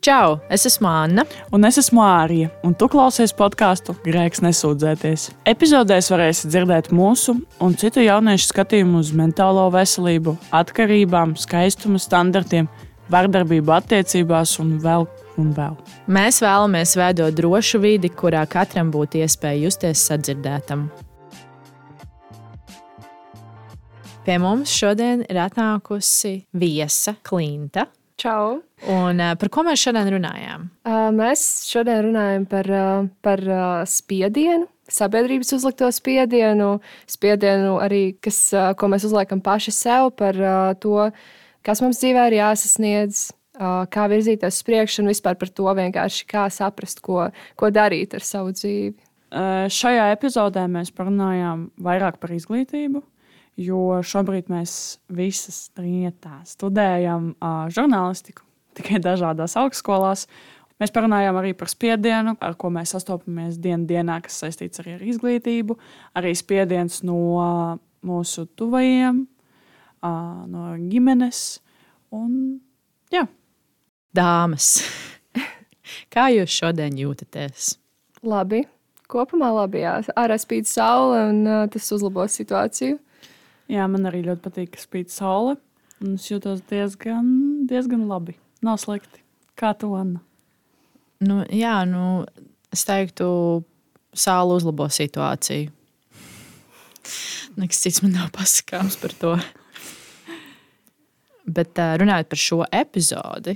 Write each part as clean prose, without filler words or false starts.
Čau, es esmu Anna. Un es esmu Ārija, un tu klausies podkāstu Grēks nesūdzēties. Epizodēs varēsi dzirdēt mūsu un citu jauniešu skatījumu uz mentālo veselību, atkarībām, skaistuma standartiem, vardarbību attiecībās un vēl. Mēs vēlamies veidot drošu vidi, kurā katram būtu iespēja justies sadzirdētam. Pie mums šodien ir atnākusi viesa Klinta. Čau! Un par ko mēs šodien runājām? Mēs šodien runājam par spiedienu, sabiedrības uzlikto spiedienu arī, ko mēs uzliekam paši sev, par to, kas mums dzīvē ir jāsasniedz, kā virzīties uz priekšu un vispār par to vienkārši kā saprast, ko darīt ar savu dzīvi. Šajā epizodē mēs parunājām vairāk par izglītību, jo šobrīd mēs visas trietā studējam žurnālistiku, tikai dažādās augstskolās. Mēs parunājām arī par spiedienu, ar ko mēs sastopamies dienā, kas saistīts arī ar izglītību, arī spiediens no mūsu tuvajiem, no ģimenes. Un, jā. Dāmas, kā jūs šodien jūtaties? Labi, kopumā labi, jā. Ārā spīd saule un tas uzlabos situāciju. Jā, man arī ļoti patīk, ka spīd saule, un es jūtos diezgan labi. Nav slikti. Kā tu, Anna? Es teiktu, saule uzlabo situāciju. Nekas cits man nav pasakāms par to. Bet runājot par šo epizodi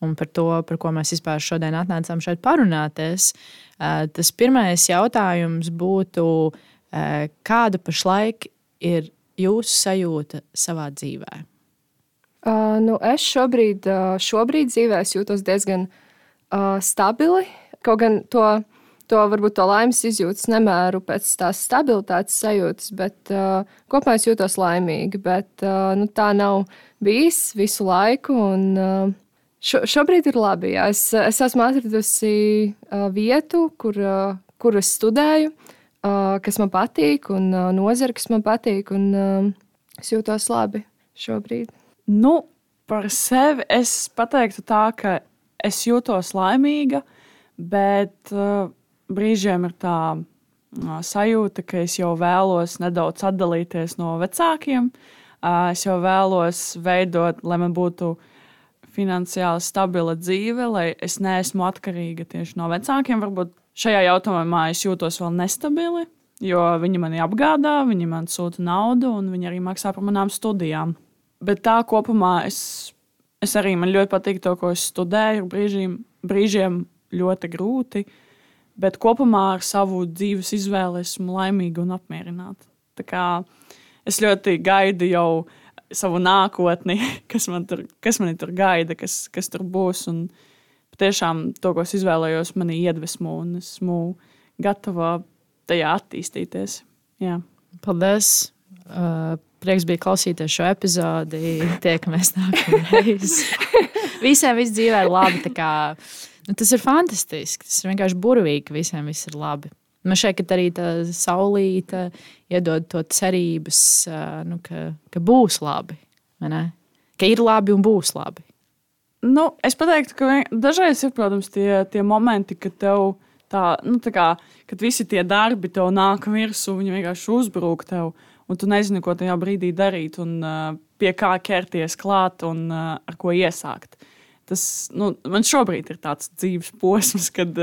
un par to, par ko mēs vispār šodien atnācām šeit parunāties, tas pirmais jautājums būtu, kāda pašlaik ir jūsu sajūta savā dzīvē? Es šobrīd dzīvē jūtos diezgan stabili. Kaut gan to varbūt to laimes izjūtas nemēru pēc tās stabilitātes sajūtas, bet kopumā es jūtos laimīgi. Bet tā nav bijis visu laiku. Un, šobrīd ir labi. Jā. Es esmu atradusi vietu, kur es studēju, kas man patīk, un nozara, kas man patīk, un es jūtos labi šobrīd. Par sevi es pateiktu tā, ka es jūtos laimīga, bet brīžiem ir tā sajūta, ka es jau vēlos nedaudz atdalīties no vecākiem. Es jau vēlos veidot, lai man būtu finansiāli stabila dzīve, lai es neesmu atkarīga tieši no vecākiem. Varbūt šajā jautājumā es jūtos vēl nestabili, jo viņi mani apgādā, viņi man sūta naudu un viņi arī maksā par manām studijām. Bet tā kopumā man ļoti patīk to, ko es studēju. Brīžiem ļoti grūti, bet kopumā ar savu dzīves izvēli esmu laimīga un apmierināta. Tā kā es ļoti gaidu jau savu nākotni, kas mani tur gaida, kas tur būs. Un tiešām to, ko es izvēlējos, mani iedvesmo un esmu gatava tajā attīstīties. Jā. Paldies! Prieks bija klausīties šo epizodi. Tiekamies nākamreiz. Visiem viss dzīvē ir labi. Tas ir fantastiski. Tas ir vienkārši burvīgi, ka visiem viss ir labi. Man šeit arī tā saulīte iedod to cerības, ka būs labi. Ka ir labi un būs labi. Es pateiktu, ka dažreiz ir, protams, tie momenti, kad tev kad visi tie darbi tev nāk virsū, viņi vienkārši uzbrūk tev, un tu nezini, ko tajā brīdī darīt, un pie kā ķerties klāt un ar ko iesākt. Man šobrīd ir tāds dzīves posms, kad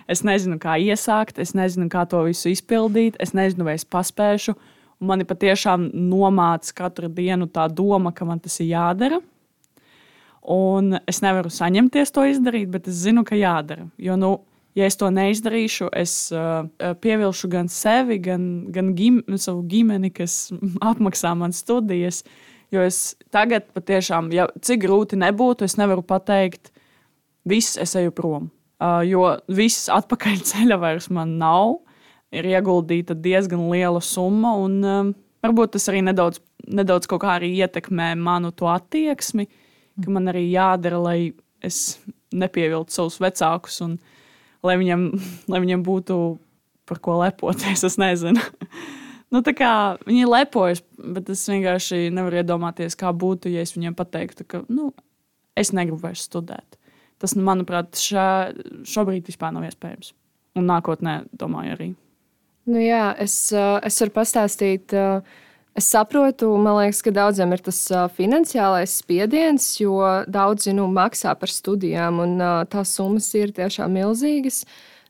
es nezinu, kā iesākt, es nezinu, kā to visu izpildīt, es nezinu, vai es paspēšu, un mani patiešām nomāca katru dienu tā doma, ka man tas ir jādara. Un es nevaru saņemties to izdarīt, bet es zinu, ka jādara. Jo, ja es to neizdarīšu, es pievilšu gan sevi, gan savu ģimeni, kas apmaksā man studijas. Jo es tagad patiešām, cik grūti nebūtu, es nevaru pateikt, viss es eju prom. Jo viss atpakaļ ceļa vairs man nav. Ir ieguldīta diezgan liela summa, un varbūt tas arī nedaudz kaut kā arī ietekmē manu to attieksmi, ka man arī jādara, lai es nepieviltu savus vecākus un lai viņiem būtu par ko lepoties, es nezinu. Viņi lepojas, bet es vienkārši nevaru iedomāties, kā būtu, ja es viņiem pateiktu, ka es negribu vairs studēt. tas manuprāt, šobrīd vispār nav iespējams. Un nākotnē, domāju, arī. Nu jā, es varu pastāstīt. Es saprotu, man liekas, ka daudziem ir tas finansiālais spiediens, jo daudzi maksā par studijām, un tās summas ir tiešām milzīgas.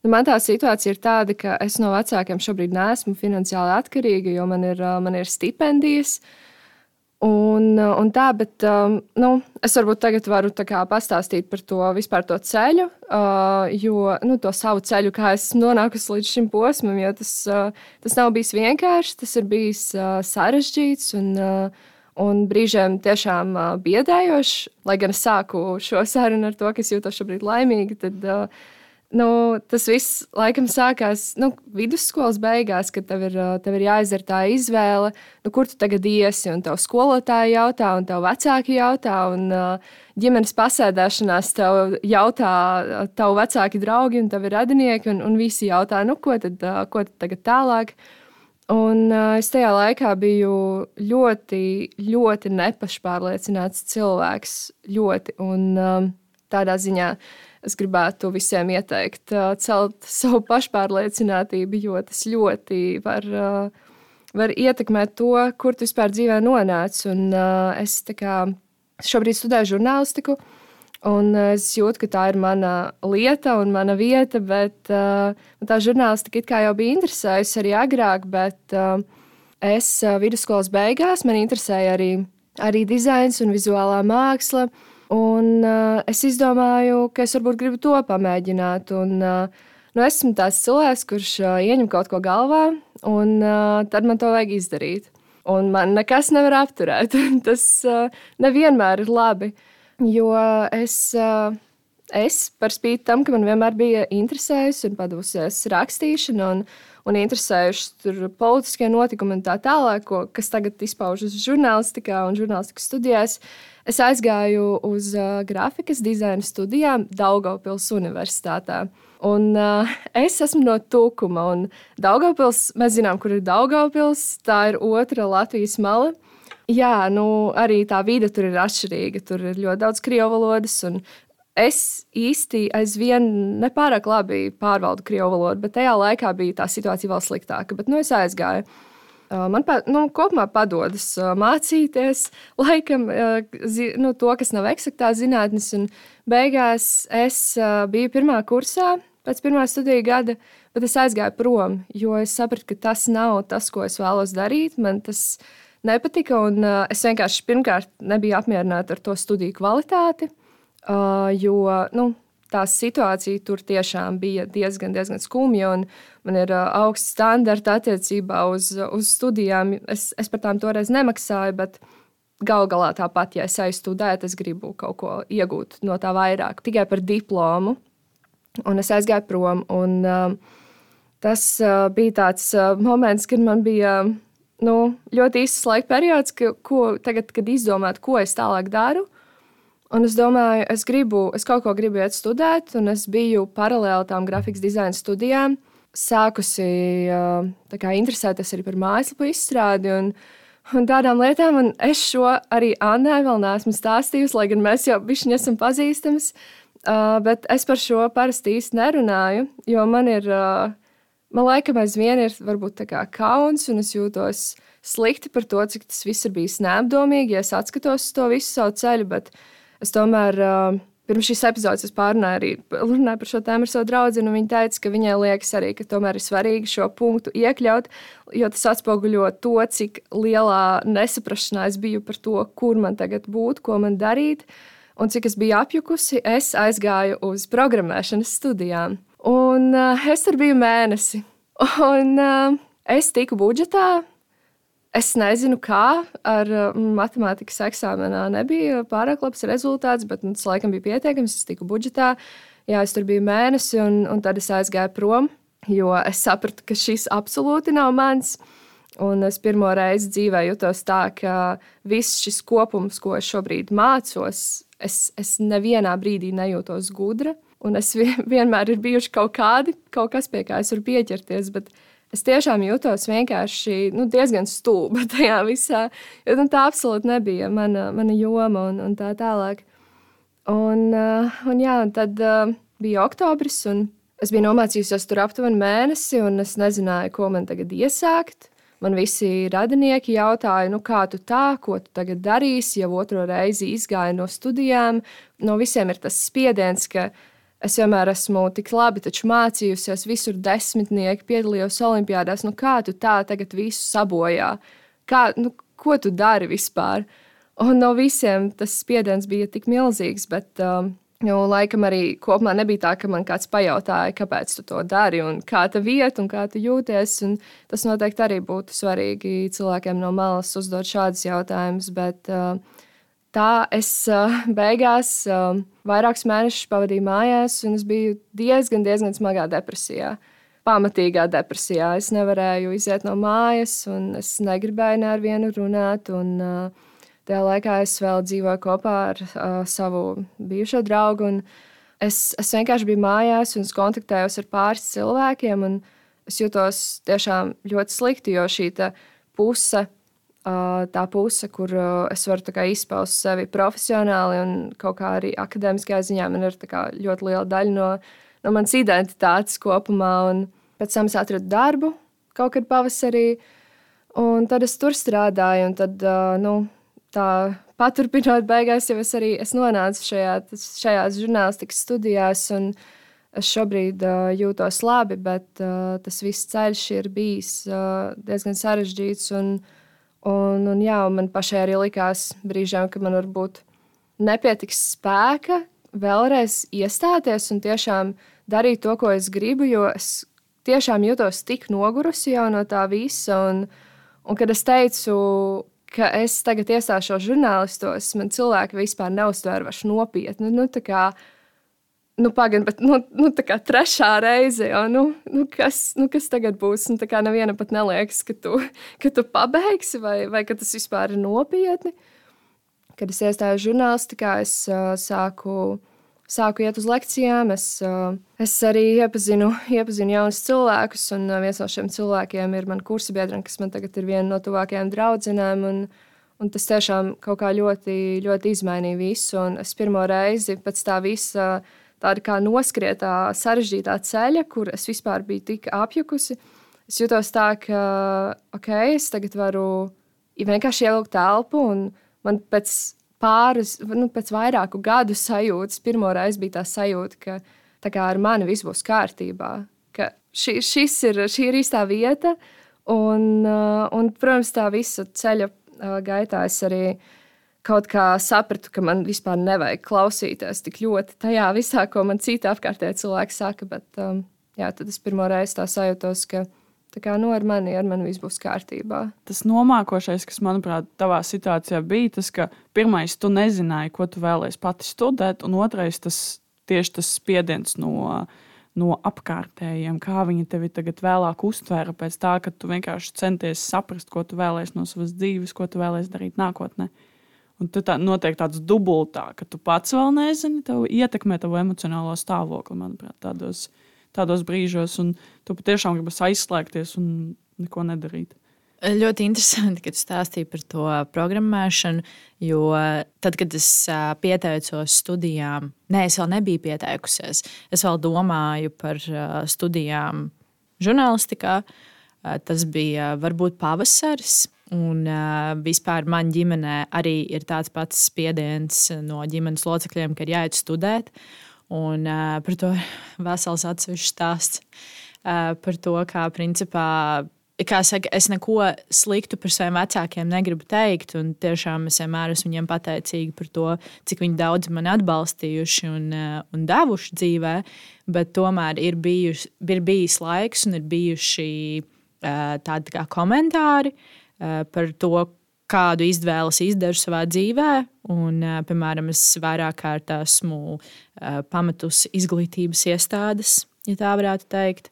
Man tā situācija ir tāda, ka es no vecākiem šobrīd neesmu finansiāli atkarīga, jo man ir stipendijas. Un tā, bet es varbūt tagad varu pastāstīt par to vispār to ceļu, jo to savu ceļu, kā es nonākusi līdz šim posmam, jo tas nav bijis vienkārši, tas ir bijis sarežģīts un brīžiem tiešām biedējoši. Lai gan es sāku šo sarunu ar to, ka es jūtos šobrīd laimīga, tad tas viss laikam sākās vidusskolas beigās, kad tev ir jāizdara tā izvēle, kur tu tagad iesi, un tev skolotāji jautā, un tev vecāki jautā, un ģimenes pasēdēšanās tev jautā tavu vecāki draugi, un tev ir radinieki, un visi jautā, ko tad tagad tālāk. Un es tajā laikā biju ļoti, ļoti nepašpārliecināts cilvēks, ļoti, un tādā ziņā es gribētu visiem ieteikt celt savu pašpārliecinātību, jo tas ļoti var ietekmēt to, kur tu vispār dzīvē nonāc. Un es šobrīd studēju žurnālistiku, un es jūtu, ka tā ir mana lieta un mana vieta, bet tā žurnālistika it kā jau bija interesējusi arī agrāk, bet es vidusskolas beigās man interesēja arī dizains un vizuālā māksla. Un es izdomāju, ka es varbūt gribu to pamēģināt. Un, esmu tāds cilvēks, kurš ieņem kaut ko galvā, un tad man to vajag izdarīt. Un man nekas nevar apturēt. Tas nevienmēr ir labi, jo es par spīti tam, ka man vienmēr bija interesējusi un padevusies rakstīšana un interesējuši politiskie notikumi un tā tālāk, kas tagad izpaužas žurnālistikā un žurnālistikas studijās. Es aizgāju uz grafikas dizaina studijām Daugavpils Universitātē. Un es esmu no Tukuma. Un Daugavpils, mēs zinām, kur ir Daugavpils. Tā ir otra Latvijas mala. Jā, arī tā vide tur ir atšķirīga. Tur ir ļoti daudz krievu valodas. Un es īsti aizvien nepārāk labi pārvaldu krievu valodu, bet tajā laikā bija tā situācija vēl sliktāka. Bet es aizgāju. Man kopumā padodas mācīties, laikam, to, kas nav eksaktā zinātnes. Un beigās es biju pirmā kursā, pēc pirmā studiju gada, bet es aizgāju prom, jo es sapratu, ka tas nav tas, ko es vēlos darīt. Man tas nepatika, un es vienkārši pirmkārt nebiju apmierināta ar to studiju kvalitāti, jo tā situācija tur tiešām bija diezgan skumja, un man ir augsts standarti attiecībā uz studijām. Es par tām toreiz nemaksāju, bet galu galā tāpat, ja es aizstudētu, es gribu kaut ko iegūt no tā vairāk, tikai par diplomu. Un es aizgāju prom, un tas bija tāds moments, kad man bija ļoti īsts laika periods, kad izdomāt, ko es tālāk daru. Un es domāju, es kaut ko gribu iet studēt, un es biju paralēli tām grafikas dizaina studijām, sākusi interesēties arī par mājaslapu izstrādi un tādām lietām. Un es šo arī Annai vēl neesmu stāstījusi, lai gan mēs jau bišķiņi esam pazīstamas, bet es par šo parasti īsti nerunāju, jo man laikam aizvien ir varbūt kauns, un es jūtos slikti par to, cik tas viss ir bijis neapdomīgi, ja es atskatos uz to visu savu ceļu, bet es tomēr pirms šīs epizodes runāju par šo tēmu ar savu draugu, un viņa teica, ka viņai liekas arī, ka tomēr ir svarīgi šo punktu iekļaut, jo tas atspoguļo to, cik lielā nesaprašanā es biju par to, kur man tagad būt, ko man darīt, un cik es biju apjukusi, es aizgāju uz programmēšanas studijām. Un es tur biju mēnesi, un es tiku budžetā. Es nezinu, kā ar matemātikas eksāmenā nebija pārāk labs rezultāts, bet tas laikam bija pietiekams. Es tiku budžetā, jā, es tur biju mēnesi, un tad es aizgāju prom, jo es sapratu, ka šis absolūti nav mans. Un es pirmo reizi dzīvē jutos tā, ka viss šis kopums, ko es šobrīd mācos, es nevienā brīdī nejūtos gudra. Un es vienmēr ir bijuši kaut kas, pie kā es varu pieķerties, bet es tiešām jūtos vienkārši diezgan stulba tajā visā, jo tā absolūti nebija mana joma un tā tālāk. Un tad bija oktobris, un es biju nomācījusies tur aptuveni mēnesi, un es nezināju, ko man tagad iesākt. Man visi radinieki jautāja, kā tu tā, ko tu tagad darīsi, jau otro reizi izgāju no studijām. No visiem ir tas spiediens, ka es vienmēr esmu tik labi mācījusies, visur 10, piedalījos olimpiādās. Kā tu tā tagad visu sabojā? Ko tu dari vispār? Un no visiem tas spiediens bija tik milzīgs, bet laikam arī kopumā nebija tā, ka man kāds pajautāja, kāpēc tu to dari un kā tev iet un kā tu jūties. Un tas noteikti arī būtu svarīgi cilvēkiem no malas uzdot šādus jautājumus, bet tā es beigās vairākus mēnešus pavadīju mājās, un es biju diezgan smagā depresijā. Pamatīgā depresijā. Es nevarēju iziet no mājas, un es negribēju ne ar vienu runāt. Tajā laikā es vēl dzīvoju kopā ar savu bijušo draugu. Es vienkārši biju mājās un kontaktējos ar pāris cilvēkiem. Es jutos tiešām ļoti slikti, jo šī puse, tā puse, kur es varu izpaust sevi profesionāli un kaut kā arī akadēmiskajā ziņā, man ir ļoti liela daļa no manas identitātes kopumā. Un pēc tam es atradu darbu kaut kad pavasarī, un tad es tur strādāju. Tad, tā paturpinot beigās, jau es nonācu šajās žurnālistikas studijās, un es šobrīd jūtos labi, bet tas viss ceļš ir bijis diezgan sarežģīts. Man pašai arī likās brīžiem, ka man varbūt nepietiks spēka vēlreiz iestāties un tiešām darīt to, ko es gribu, jo es tiešām jūtos tik nogurusi jau no tā visa. Un kad es teicu, ka es tagad iestāšos žurnālistos, man cilvēki vispār neuztvēra vairs nopietni. Pagaid, bet tā kā trešā reize, jo, kas tagad būs? Neviena pat neliekas, ka tu pabeigsi vai ka tas vispār ir nopietni. Kad es iestājos žurnālistikā, es sāku iet uz lekcijām. Es arī iepazinu jaunus cilvēkus, un viens no šiem cilvēkiem ir mana kursabiedrene, kas man tagad ir viena no tuvākajām draudzenēm. Un tas tiešām kaut kā ļoti, ļoti izmainīja visu. Un es pirmo reizi pēc tā visa tāda kā noskrietā, sarežģītā ceļa, kur es vispār biju tik apjukusi, es jutos tā, ka es tagad varu vienkārši ievilkt telpu, un man pēc vairāku gadu sajūtas, pirmo reizi bija tā sajūta, ka tā kā ar mani viss būs kārtībā, ka šī ir īstā vieta, un protams, tā visa ceļa gaitā es arī kaut kā sapratu, ka man vispār nevajag klausīties tik ļoti tajā visā, ko man citi apkārtējie cilvēki saka, bet tad es pirmo reizi tā sajūtos, ka ar mani viss būs kārtībā. Tas nomākošais, kas, manuprāt, tavā situācijā bija tas, ka pirmais, tu nezināji, ko tu vēlēsi pati studēt, un otrais, tieši tas spiediens no apkārtējiem, kā viņi tevi tagad vēlāk uztvēra pēc tā, ka tu vienkārši centies saprast, ko tu vēlēsi no savas dzīves, ko tu vēlēsi darīt nākotnē. Un tad notiek tāds dubultā, ka tu pats vēl nezini, tev ietekmē tavu emocionālo stāvokli, manuprāt, tādos brīžos, un tu patiešām gribas aizslēgties un neko nedarīt. Ļoti interesanti, ka tu stāstīji par to programmēšanu, jo tad, kad es pieteicos studijām, es vēl nebiju pieteikusies. Es vēl domāju par studijām žurnālistikā. Tas bija varbūt pavasaris, un vispār man ģimenē arī ir tāds pats spiediens no ģimenes locekļiem, ka ir jāiet studēt. Un par to vesels atsevišķs stāsts. Par to, kā principā, kā saka, es neko sliktu par saviem vecākiem negribu teikt, un tiešām es vienmēr esmu viņiem pateicīga par to, cik viņi daudz mani atbalstījuši un devuši dzīvē, bet tomēr ir bijis laiks un ir bijuši tādi kā komentāri par to, kādu izvēli izdaru savā dzīvē. Un, piemēram, es vairāk kārt esmu pametusi izglītības iestādes, ja tā varētu teikt.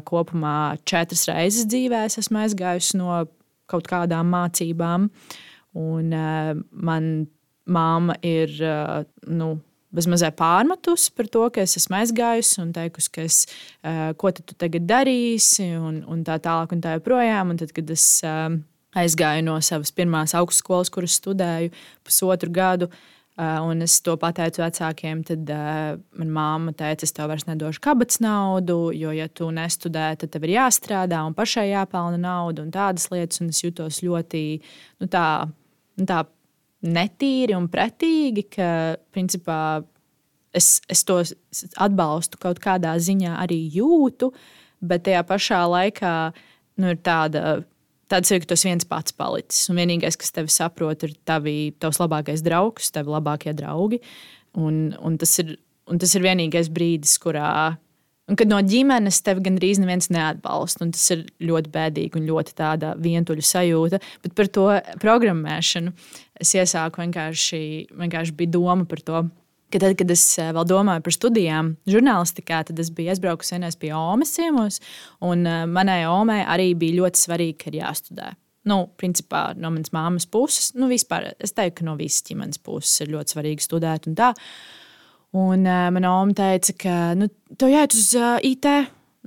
Kopumā 4 reizes dzīvē esmu aizgājusi no kaut kādām mācībām. Un man mamma ir bezmazliet pārmetusi par to, ka es esmu aizgājusi un teikusi, ka ko tu tagad darīsi un tā tālāk un tā joprojām. Un tad, kad es aizgāju no savas pirmās augstskolas, kuras studēju 1,5 gadu, Un es to pateicu vecākiem, tad manā mamma teica, es tev vairs nedošu kabatas naudu, jo, ja tu nestudē, tad tev ir jāstrādā un pašai jāpelna nauda un tādas lietas. Un es jutos ļoti tā netīri un pretīgi, ka principā es to atbalstu kaut kādā ziņā arī jūtu, bet tajā pašā laikā ir tāds ir, ka tas viens pats palicis. Un vienīgais, kas tevi saprot, ir tavs labākais draugs, tavi labākie draugi. Un tas ir vienīgais brīdis, kad no ģimenes tevi gandrīz neviens neatbalsta. Un tas ir ļoti bēdīgi un ļoti tāda vientuļa sajūta. Bet par to programmēšanu es iesāku vienkārši bija doma par to. Ka tad, kad es vēl domāju par studijām žurnālistikā, tad es biju aizbraukusi vienreiz pie Omes ciemos, un manai Omei arī bija ļoti svarīgi, ka ir jāstudē. Principā no manas māmas puses, vispār es teiktu, ka no visas ģimenes puses ir ļoti svarīgi studēt un tā. Un mana Oma teica, ka tev jāiet uz IT,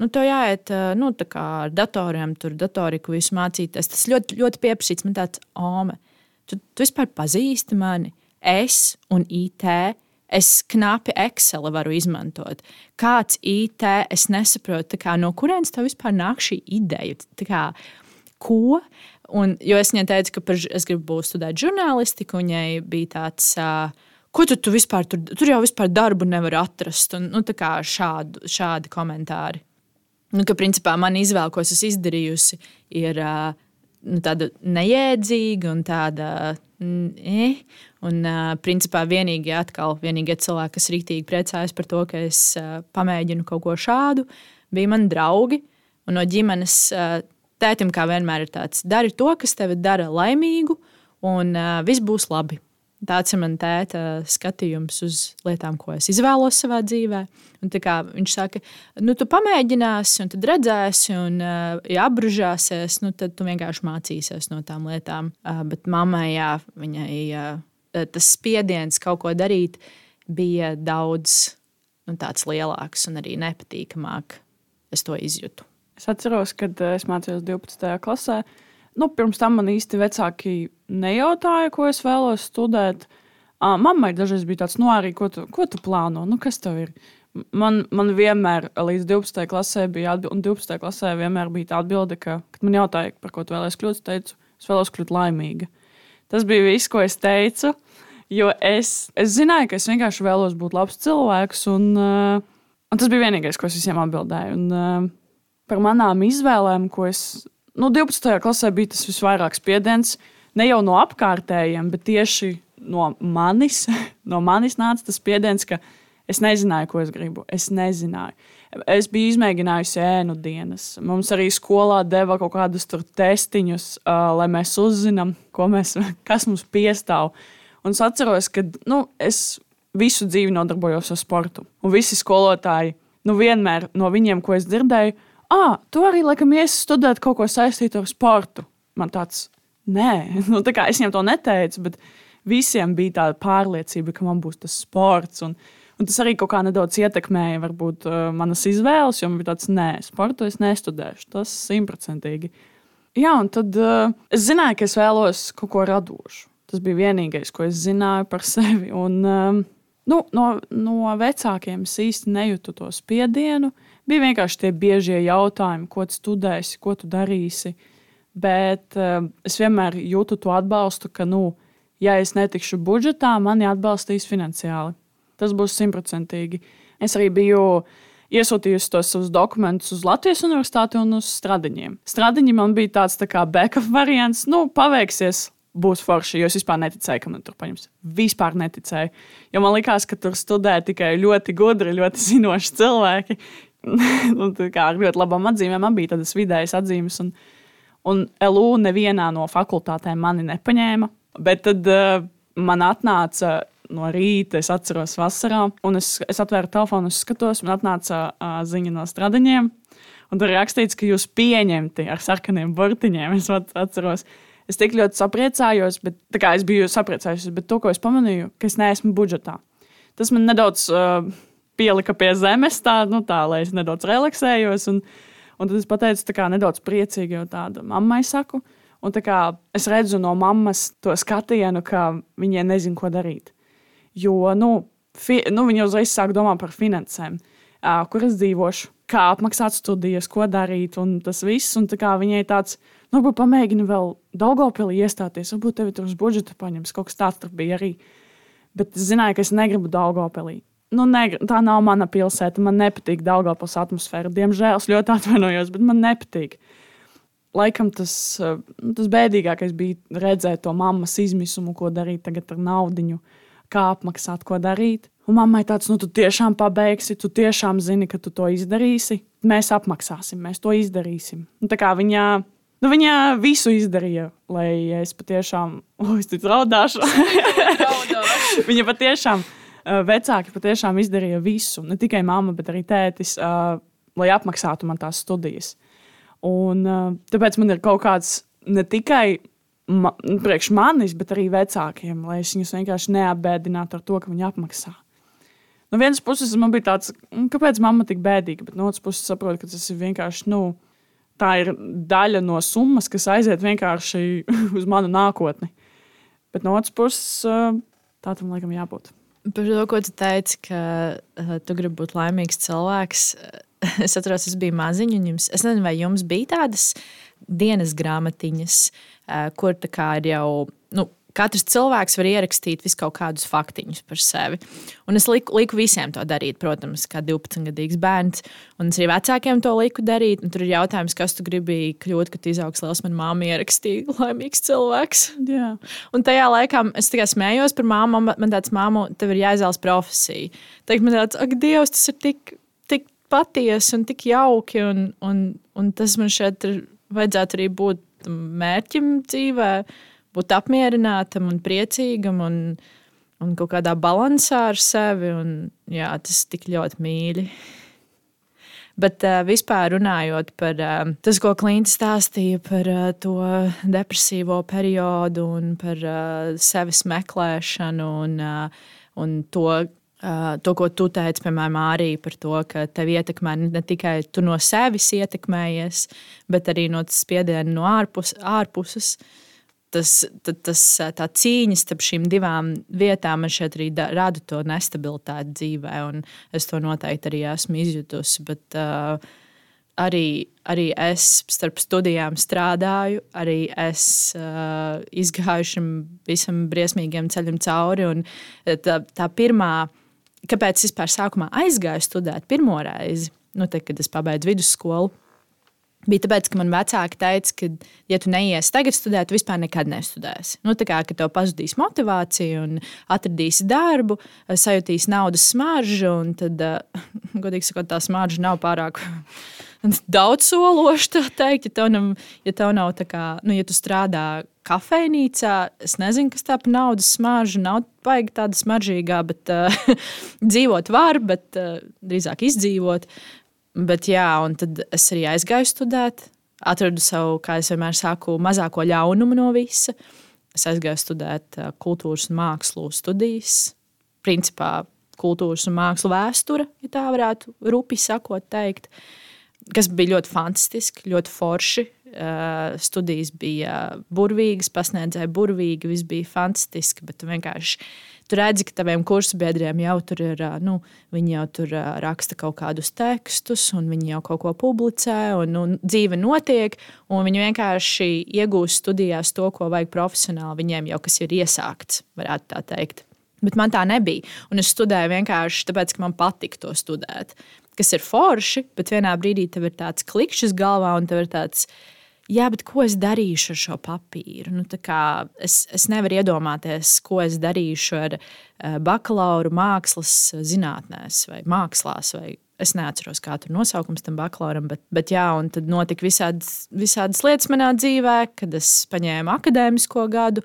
tev jāiet tā kā ar datoriem, tur datoriku visu mācīties. Tas ļoti, ļoti pieprasīts. Man tāds, Ome, tu vispār pazīsti mani? Es un IT. Es knapi Excel varu izmantot. Kāds IT, es nesaprotu, no kurienes tev vispār nāk šī ideja? Ko? Jo es viņai teicu, ka es gribu studēt žurnālistiku, un viņai bija tāds, ko tu vispār tur jau vispār darbu nevar atrast. Un, šādi komentāri. Ka principā man izvēle, ko es izdarījusi, ir tāda nejēdzīga un tāda. Un principā vienīgie cilvēki, kas rītīgi priecājas par to, ka es pamēģinu kaut ko šādu, bija mani draugi. Un no ģimenes tētim kā vienmēr ir tāds, dari to, kas tevi dara laimīgu, un viss būs labi. Tāds ir man tēta skatījums uz lietām, ko es izvēlos savā dzīvē. Un viņš saka, tu pamēģināsi, un tad redzēsi, un ja apbružāsies, tad tu vienkārši mācīsies no tām lietām. Bet mammai, viņai tas spiediens kaut ko darīt bija daudz tāds lielāks un arī nepatīkamāk. Es to izjūtu. Es atceros, kad es mācījos 12. klasē. Pirms tam man īsti vecāki nejautāja, ko es vēlos studēt. Mammai dažreiz bija tāds, arī ko tu plāno? Kas tev ir? Man vienmēr līdz 12. klasē bija atbilde, un 12. klasē vienmēr bija tā atbilde, ka, kad man jautāja, par ko tu vēlies kļūt, es teicu, es vēlos kļūt laimīga. Tas bija viss, ko es teicu, jo es zināju, ka es vienkārši vēlos būt labs cilvēks, un tas bija vienīgais, ko es visiem atbildēju. Un par manām izvēlēm, ko es 12. klasē bija tas visvairāk spiediens, ne jau no apkārtējiem, bet tieši no manis. No manis nāca tas spiediens, ka es nezināju, ko es gribu. Es nezināju. Es biju izmēģinājusi ēnu dienas. Mums arī skolā deva kaut kādus testiņus, lai mēs uzzinām, kas mums piestāv. Un es atceros, ka es visu dzīvi nodarbojos ar sportu. Un visi skolotāji, vienmēr no viņiem, ko es dzirdēju, tu arī laikam iesi studēt kaut ko saistītu ar sportu. Man tāds, nē, es viņam to neteicu, bet visiem bija tāda pārliecība, ka man būs tas sports. Un tas arī kaut kā nedaudz ietekmēja varbūt manas izvēles, jo man bija tāds, nē, sportu es nestudēšu, tas 100%. Jā, un tad es zināju, ka es vēlos kaut ko radošu. Tas bija vienīgais, ko es zināju par sevi. Un no vecākiem es īsti nejūtu to spiedienu. Bija vienkārši tie biežie jautājumi, ko tu studēsi, ko tu darīsi. Bet es vienmēr jūtu to atbalstu, ka, ja es netikšu budžetā, mani atbalstīs finansiāli. Tas būs 100%. Es arī biju iesūtījusi tos savus dokumentus uz Latvijas universitāti un uz Stradiņiem. Stradiņi man bija tāds tā kā backup variants. Paveiksies, būs forši, jo es vispār neticēju, ka man tur paņems. Vispār neticēju. Jo man likās, ka tur studē tikai ļoti gudri, ļoti zinoši cilvēki. Ar ļoti labām atzīmēm. Man bija tādas vidējas atzīmes, un LU nevienā no fakultātēm mani nepaņēma. Bet tad man atnāca no rīta, es atceros vasarā, un es atvēru telefonu, es skatos, man atnāca ziņa no Stradiņiem, un tur rakstīts, ka jūs pieņemti ar sarkaniem burtiņiem. Es atceros, es tik ļoti sapriecājos, bet es biju sapriecājusies, bet to, ko es pamanīju, ka es neesmu budžetā. Tas man nedaudz pielika pie zemes, lai es nedaudz relaksējos, un tad es pateicu nedaudz priecīgi, jo tāda mammai saku, un es redzu no mammas to skatienu, ka viņai nezin, ko darīt. Jo viņi uzreiz sāk domāt par finansēm, kur es dzīvošu, kā apmaksāt studijas, ko darīt un tas viss. Un viņai tāds, varbūt pamēģini vēl Daugavpilī iestāties, varbūt tevi tur uz budžetu paņems, kaut kas tāds tur bija arī. Bet es zināju, ka es negribu Daugavpilī. Tā nav mana pilsēta, man nepatīk Daugavpils atmosfēra. Diemžēl es ļoti atvainojos, bet man nepatīk. Laikam tas bēdīgākais bija redzēt to mammas izmisumu, ko darīt tagad ar naudiņu, kā apmaksāt, ko darīt. Un mammai tāds, tu tiešām pabeigsi, tu tiešām zini, ka tu to izdarīsi. Mēs apmaksāsim, mēs to izdarīsim. Viņa visu izdarīja, lai es patiešām, es ticu raudāšu. Viņa patiešām, vecāki patiešām izdarīja visu, ne tikai mamma, bet arī tētis, lai apmaksātu man tās studijas. Un tāpēc man ir kaut kāds ne tikai priekš manis, bet arī vecākiem, lai es viņus vienkārši neapbēdinātu ar to, ka viņi apmaksā. No vienas puses man bija tāds, kāpēc mamma tik bēdīga, bet no otras puses saprotu, ka tas ir vienkārši, tā ir daļa no summas, kas aiziet vienkārši uz manu nākotni. Bet no otras puses tā tam laikam jābūt. Par to, ko tu teici, ka tu gribi būt laimīgs cilvēks, es atceros, es biju maziņa, un es nezinu, vai jums bija tādas dienas grāmatiņas, kur tā kā ir jau, katrs cilvēks var ierakstīt visu kaut kādus faktiņus par sevi. Un es liku visiem to darīt, protams, kā 12-gadīgs bērns. Un es arī vecākiem to liku darīt. Un tur ir jautājums, kas tu gribi kļūt, kad izaugs liels. Man māma ierakstīja laimīgs cilvēks. Jā. Un tajā laikā es tikai smējos par māmu. Man tāds, māmu, tev ir jāizvēlas profesija. Tagad man tāds, ak, Dievs, tas ir tik patiesi un tik jauki. Un tas man šeit vajadzētu arī būt mērķim dzīvē. Būt apmierinātam un priecīgam un kaut kādā balansā ar sevi. Un, jā, tas tik ļoti mīļi. Bet vispār runājot par tas, ko Klinta stāstīja par to depresīvo periodu un par sevis meklēšanu un to, ko tu teici, piemēram, arī par to, ka tev ietekmē ne tikai tu no sevis ietekmējies, bet arī no spiediena no ārpuses. Tā cīņa starp šīm divām vietām man šeit arī rada to nestabilitāti dzīvē, un es to noteikti arī esmu izjutusi, bet arī es starp studijām strādāju, arī es izgāju šim visam briesmīgiem ceļam cauri, un tā pirmā, kāpēc es vispār sākumā aizgāju studēt pirmo reizi, kad es pabeidzu vidusskolu, bija tāpēc, ka man vecāki teica, ka, ja tu neiesi tagad studēt, tu vispār nekad nestudēsi. Ka tev pazudīs motivācija un atradīsi darbu, sajutīsi naudas smaržu, un tad, godīgi sakot, tā smarža nav pārāk daudz sološa, tā teikt. Ja tev nav tā kā, ja tu strādā kafejnīcā, es nezinu, kas tā par naudas smaržu, nav baigi tāda smaržīgā, bet dzīvot var, bet drīzāk izdzīvot. Bet jā, un tad es arī aizgāju studēt, atradu savu, kā es vienmēr saku, mazāko ļaunumu no visa. Es aizgāju studēt kultūras un mākslu studijas, principā kultūras un mākslu vēsture, ja tā varētu rupi sakot teikt, kas bija ļoti fantastiski, ļoti forši. Studijas bija burvīgas, pasniedzēja burvīgi, viss bija fantastiski, bet vienkārši tu redzi, ka taviem kursabiedriem jau tur ir, viņi jau tur raksta kaut kādus tekstus, un viņi jau kaut ko publicē, un dzīve notiek, un viņi vienkārši iegūst studijās to, ko vajag profesionāli, viņiem jau kas ir iesākts, varētu tā teikt. Bet man tā nebija, un es studēju vienkārši tāpēc, ka man patika to studēt, kas ir forši, bet vienā brīdī tev ir tāds klikšķis galvā, un tev ir tāds, jā, bet ko es darīšu ar šo papīru? Es nevaru iedomāties, ko es darīšu ar bakalauru mākslas zinātnēs vai mākslās. Vai es neatceros, kā tur nosaukums tam bakalauram, bet jā, un tad notika visādas lietas manā dzīvē, kad es paņēmu akadēmisko gadu.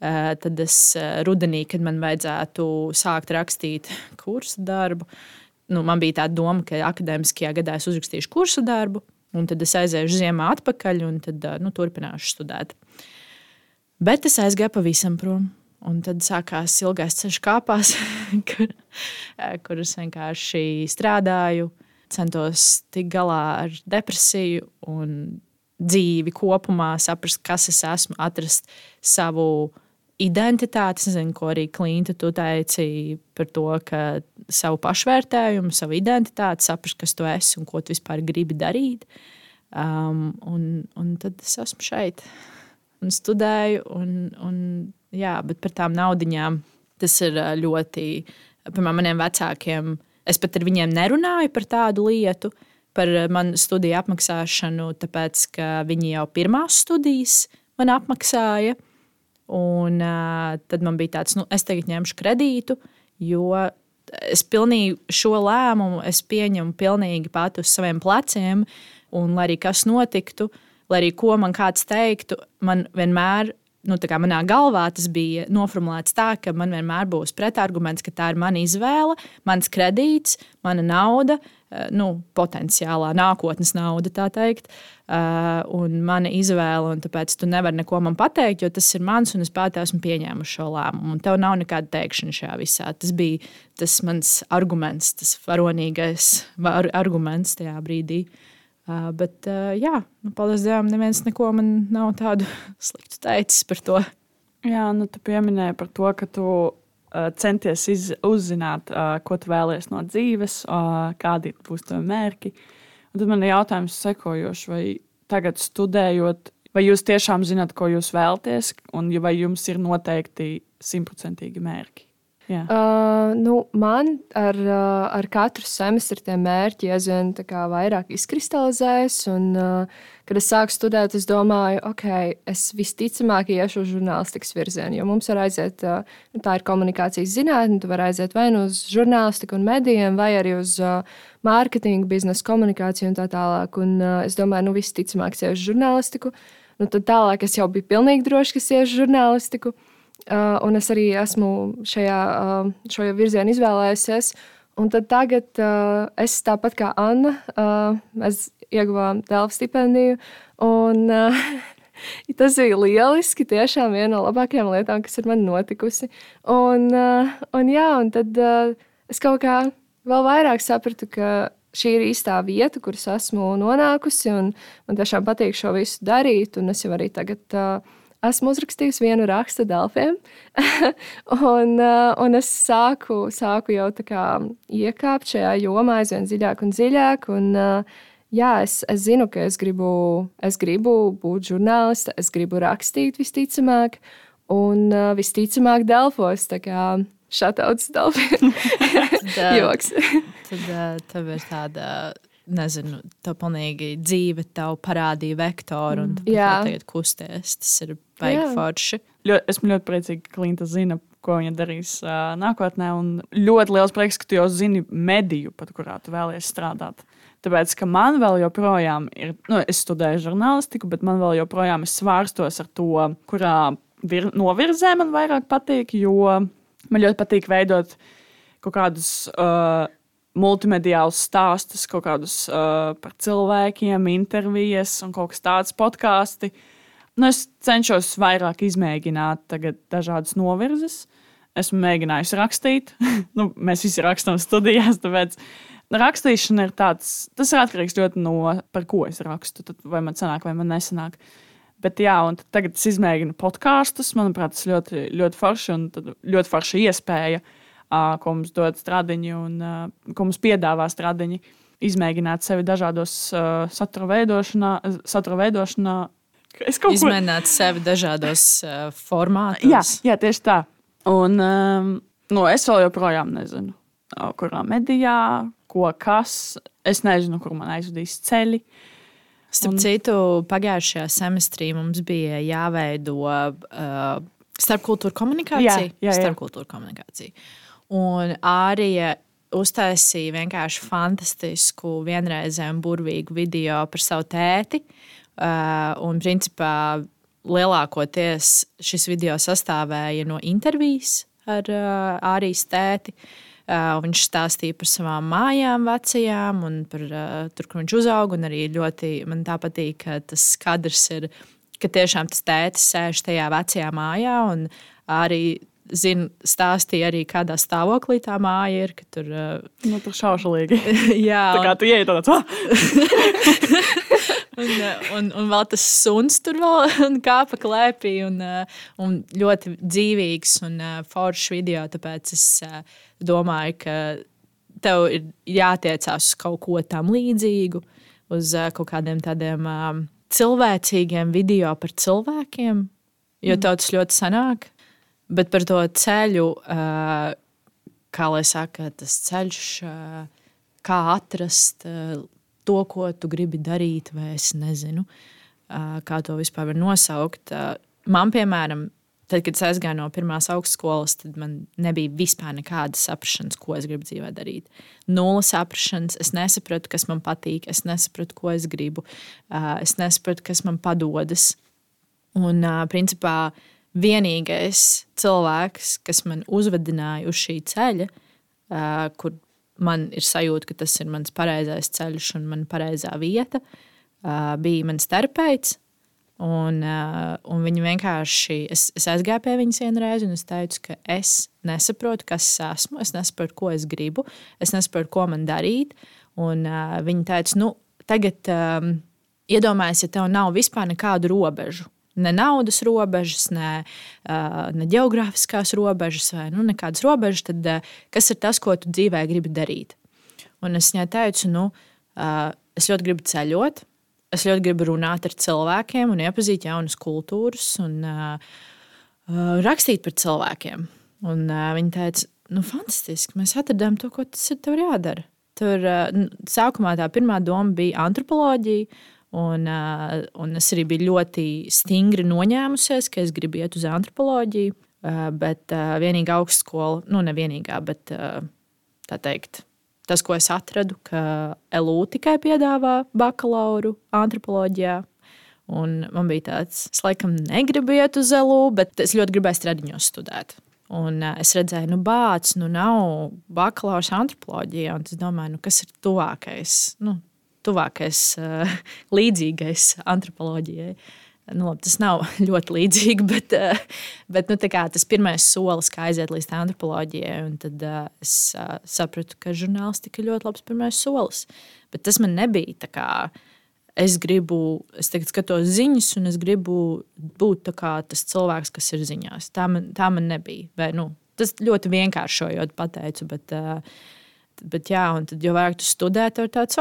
Tad es rudenī, kad man vajadzētu sākt rakstīt kursa darbu, man bija tā doma, ka akadēmiskajā gadā es uzrakstīšu kursa darbu. Un tad es aizēju ziemā atpakaļ, un tad turpināšu studēt. Bet es aizgāju pavisam prom. Un tad sākās ilgais ceļš kāpās, kur es vienkārši strādāju, centos tikt galā ar depresiju un dzīvi kopumā, saprast, kas es esmu, atrast savu identitāti. Es nezinu, ko arī Klinta tu teici par to, ka savu pašvērtējumu, savu identitāti, saprast, kas tu esi un ko tu vispār gribi darīt. Un tad es esmu šeit un studēju. Jā, bet par tām naudiņām tas ir ļoti, piemēram, maniem vecākiem. Es pat ar viņiem nerunāju par tādu lietu, par manu studiju apmaksāšanu, tāpēc, ka viņi jau pirmās studijas man apmaksāja. Un tad man bija tāds, es tagad ņemšu kredītu, jo es pilnīgi šo lēmumu pieņemu pilnīgi pati uz saviem pleciem. Un lai arī kas notiktu, lai arī ko man kāds teiktu, man vienmēr, manā galvā tas bija noformulēts tā, ka man vienmēr būs pretarguments, ka tā ir mana izvēle, mans kredīts, mana nauda, potenciālā nākotnes nauda, tā teikt, un mana izvēle, un tāpēc tu nevari neko man pateikt, jo tas ir mans, un es pati esmu pieņēmuši šo lēmumu, un tev nav nekāda teikšana šajā visā. Tas bija tas mans arguments, tas varonīgais arguments tajā brīdī. Bet, paldies Dievam, neviens neko man nav tādu sliktu teicis par to. Jā, tu pieminēji par to, ka tu centies uzzināt, ko tu vēlies no dzīves, kādi būs tavi mērķi. Un tad man ir jautājums sekojošs, vai tagad studējot, vai jūs tiešām zināt, ko jūs vēlaties, un vai jums ir noteikti 100% mērķi? Yeah. Man ar katru semestru tie mērķi aizvien vairāk izkristalizējas. Un, kad es sāku studēt, es domāju, es visticamāk iešu uz žurnālistikas virzienu. Jo mums var aiziet, tā ir komunikācijas zinātne, tu vari aiziet vai nu uz žurnālistiku un medijiem, vai arī uz mārketingu, biznesa komunikāciju un tā tālāk. Un, es domāju, visticamāk es iešu uz žurnālistiku. Tad tālāk es jau biju pilnīgi droši, ka es iešu uz žurnālistiku. Un es arī esmu šo virzienu izvēlējusies. Un tad tagad es tāpat kā Anna, mēs ieguvām Delfa stipendiju. Un tas bija lieliski, tiešām viena no labākajām lietām, kas ir man notikusi. Un tad es kaut kā vēl vairāk sapratu, ka šī ir īstā vieta, kuras esmu nonākusi. Un man tiešām patīk šo visu darīt. Un es jau arī tagad esmu uzrakstījusi vienu rakstu Delfiem, un es sāku jau iekāpt šajā jomā aizvien dziļāk un dziļāk. Un, es zinu, ka es gribu būt žurnāliste, es gribu rakstīt visticamāk, un visticamāk Delfos, tā kā šatauts Delfiem. Joks. Tad tev ir tāda... Nezinu, tev pilnīgi dzīve tev parādīja vektoru un tu tagad kusties. Tas ir baigi forši. Esmu ļoti priecīga, ka Klinta zina, ko viņa darīs nākotnē. Un ļoti liels prieks, ka tu jau zini mediju, pat kurā tu vēlies strādāt. Tāpēc, ka man vēl joprojām ir, es studēju žurnālistiku, bet man vēl joprojām es svārstos ar to, kurā novirzē man vairāk patīk, jo man ļoti patīk veidot kaut kādus... multimediālus stāstus, kaut kādus par cilvēkiem, intervijas un kaut kas tāds podkāsti. Es cenšos vairāk izmēģināt tagad dažādas novirzes. Esmu mēģinājusi rakstīt. Mēs visi rakstām studijās, tāpēc rakstīšana ir tāds, tas ir atkarīgs ļoti no par ko es rakstu, tad vai man sanāk, vai man nesanāk. Bet un tagad es izmēģinu podkāstus, manuprāt, tas ļoti, ļoti forši un ļoti forša iespēja, ko mums dod stradiņi un ko mums piedāvā stradiņi, izmēģināt sevi dažādos satura veidošanā. Izmēģināt sevi dažādos formātos. Jā, tieši tā. Un es vēl joprojām nezinu, kurā medijā, kas. Es nezinu, kur man aizvedīs ceļi. Starp citu, pagājušajā semestrī mums bija jāveido starpkultūra komunikācija. Jā. Starpkultūra komunikācija. Un Ārija uztaisīja vienkārši fantastisku, vienreizēju un burvīgu video par savu tēti. Un principā lielākoties šis video sastāvēja no intervijas ar Ārijas tēti. Viņš stāstīja par savām mājām vecajām un par tur, kur viņš uzauga. Un arī ļoti man tā patīk, ka tas kadrs ir, ka tiešām tas tētis sēž tajā vecajā mājā un arī stāstīja arī, kādā stāvoklī tā māja ir. Tur tur šaušalīgi. Jā, tā kā tu ieej tāds. un vēl tas suns tur vēl kāpa klēpī. Un ļoti dzīvīgs un foršs video. Tāpēc es domāju, ka tev ir jātiecās uz kaut ko tam līdzīgu, uz kaut kādiem tādiem cilvēcīgiem video par cilvēkiem, jo tev tas ļoti sanāk. Bet par to ceļu, kā lai saka, tas ceļš, kā atrast to, ko tu gribi darīt, vai es nezinu, kā to vispār var nosaukt. Man, piemēram, tad, kad es aizgāju no pirmās augstskolas, tad man nebija vispār nekādas saprašanas, ko es gribu dzīvē darīt. Nulle saprašanas, es nesapratu, kas man patīk, es nesapratu, ko es gribu, es nesapratu, kas man padodas. Un, principā, vienīgais cilvēks, kas man uzvedināja uz šī ceļa, kur man ir sajūta, ka tas ir mans pareizais ceļš un man pareizā vieta, bija mans terapeits. Un viņa vienkārši, es aizgāju pie viņas vienreiz, un es teicu, ka es nesaprotu, kas es esmu, es nesaprotu, ko es gribu, es nesaprotu, ko man darīt. Un viņa teica, tagad iedomājies, ja tev nav vispār nekādu robežu. Ne naudas robežas, ne geogrāfiskās robežas, vai nekādas robežas, tad kas ir tas, ko tu dzīvē gribi darīt? Un es viņai teicu, es ļoti gribu ceļot, es ļoti gribu runāt ar cilvēkiem un iepazīt jaunas kultūras un rakstīt par cilvēkiem. Un viņa teica, fantastiski, mēs atradām to, ko tas ir tev jādara. Tur sākumā tā pirmā doma bija antropoloģija, un es arī biju ļoti stingri noņēmusies, ka es gribu iet uz antropoloģiju, bet vienīgā augstskola, ne vienīgā, bet tā teikt, tas, ko es atradu, ka LU tikai piedāvā bakalauru antropoloģijā. Un man bija tāds, es laikam negribu iet uz LU, bet es ļoti gribēju Stradiņos studēt. Un es redzēju, nav bakalaurs antropoloģijā, un es domāju, kas ir tuvākais līdzīgais antropoloģijai. Tas nav ļoti līdzīgi, bet tas pirmais solis, kā aiziet līdz antropoloģijai. Un tad es sapratu, ka žurnālistika ir ļoti labs pirmais solis. Bet tas man nebija tā kā, es tagad skatos ziņas, un es gribu būt tā kā tas cilvēks, kas ir ziņās. Tā man nebija. Vai, tas ļoti vienkāršojot pateicu, bet jā, un tad jau vairāk tu studē, tev ir tāds,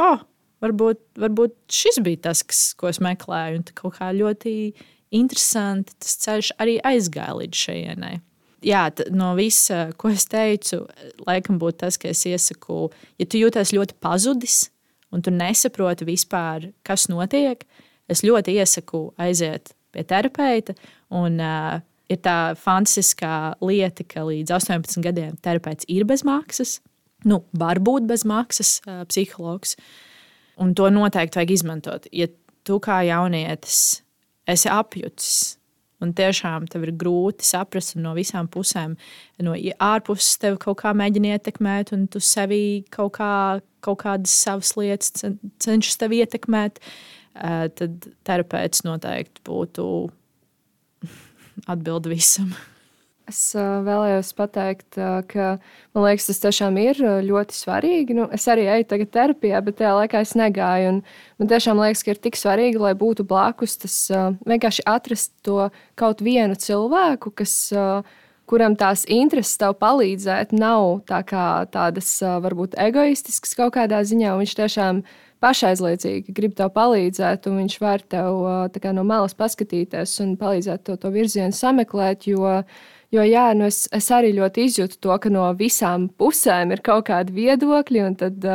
varbūt šis bija tas, ko es meklēju, un kaut kā ļoti interesanti tas ceļš arī aizgāja līdz šejienai. Jā, no visa, ko es teicu, laikam būtu tas, ka es iesaku, ja tu jūties ļoti pazudis, un tu nesaproti vispār, kas notiek, es ļoti iesaku aiziet pie terapeita, un ir tā fantastiskā lieta, ka līdz 18 gadiem terapeits ir bez maksas, var būt bez maksas psihologs. Un to noteikti vajag izmantot. Ja tu kā jaunietis esi apjucis un tiešām tev ir grūti saprast no visām pusēm, no ārpuses tev kaut kā mēģina ietekmēt un tu sevī kaut kādas savas lietas cenšas tev ietekmēt, tad terapeits noteikti būtu atbildi visam. Es vēlējos pateikt, ka man liekas, tas tiešām ir ļoti svarīgi. Es arī eju tagad terapijā, bet tajā laikā es negāju. Man tiešām liekas, ka ir tik svarīgi, lai būtu blakus tas vienkārši atrast to kaut vienu cilvēku, kuram tās intereses tev palīdzēt, nav tādas varbūt egoistiskas kaut kādā ziņā. Viņš tiešām pašaizliedzīgi grib tev palīdzēt, un viņš var tev no malas paskatīties un palīdzēt to virzienu sameklēt, Jo jā, es arī ļoti izjūtu to, ka no visām pusēm ir kaut kādi viedokļi, un tad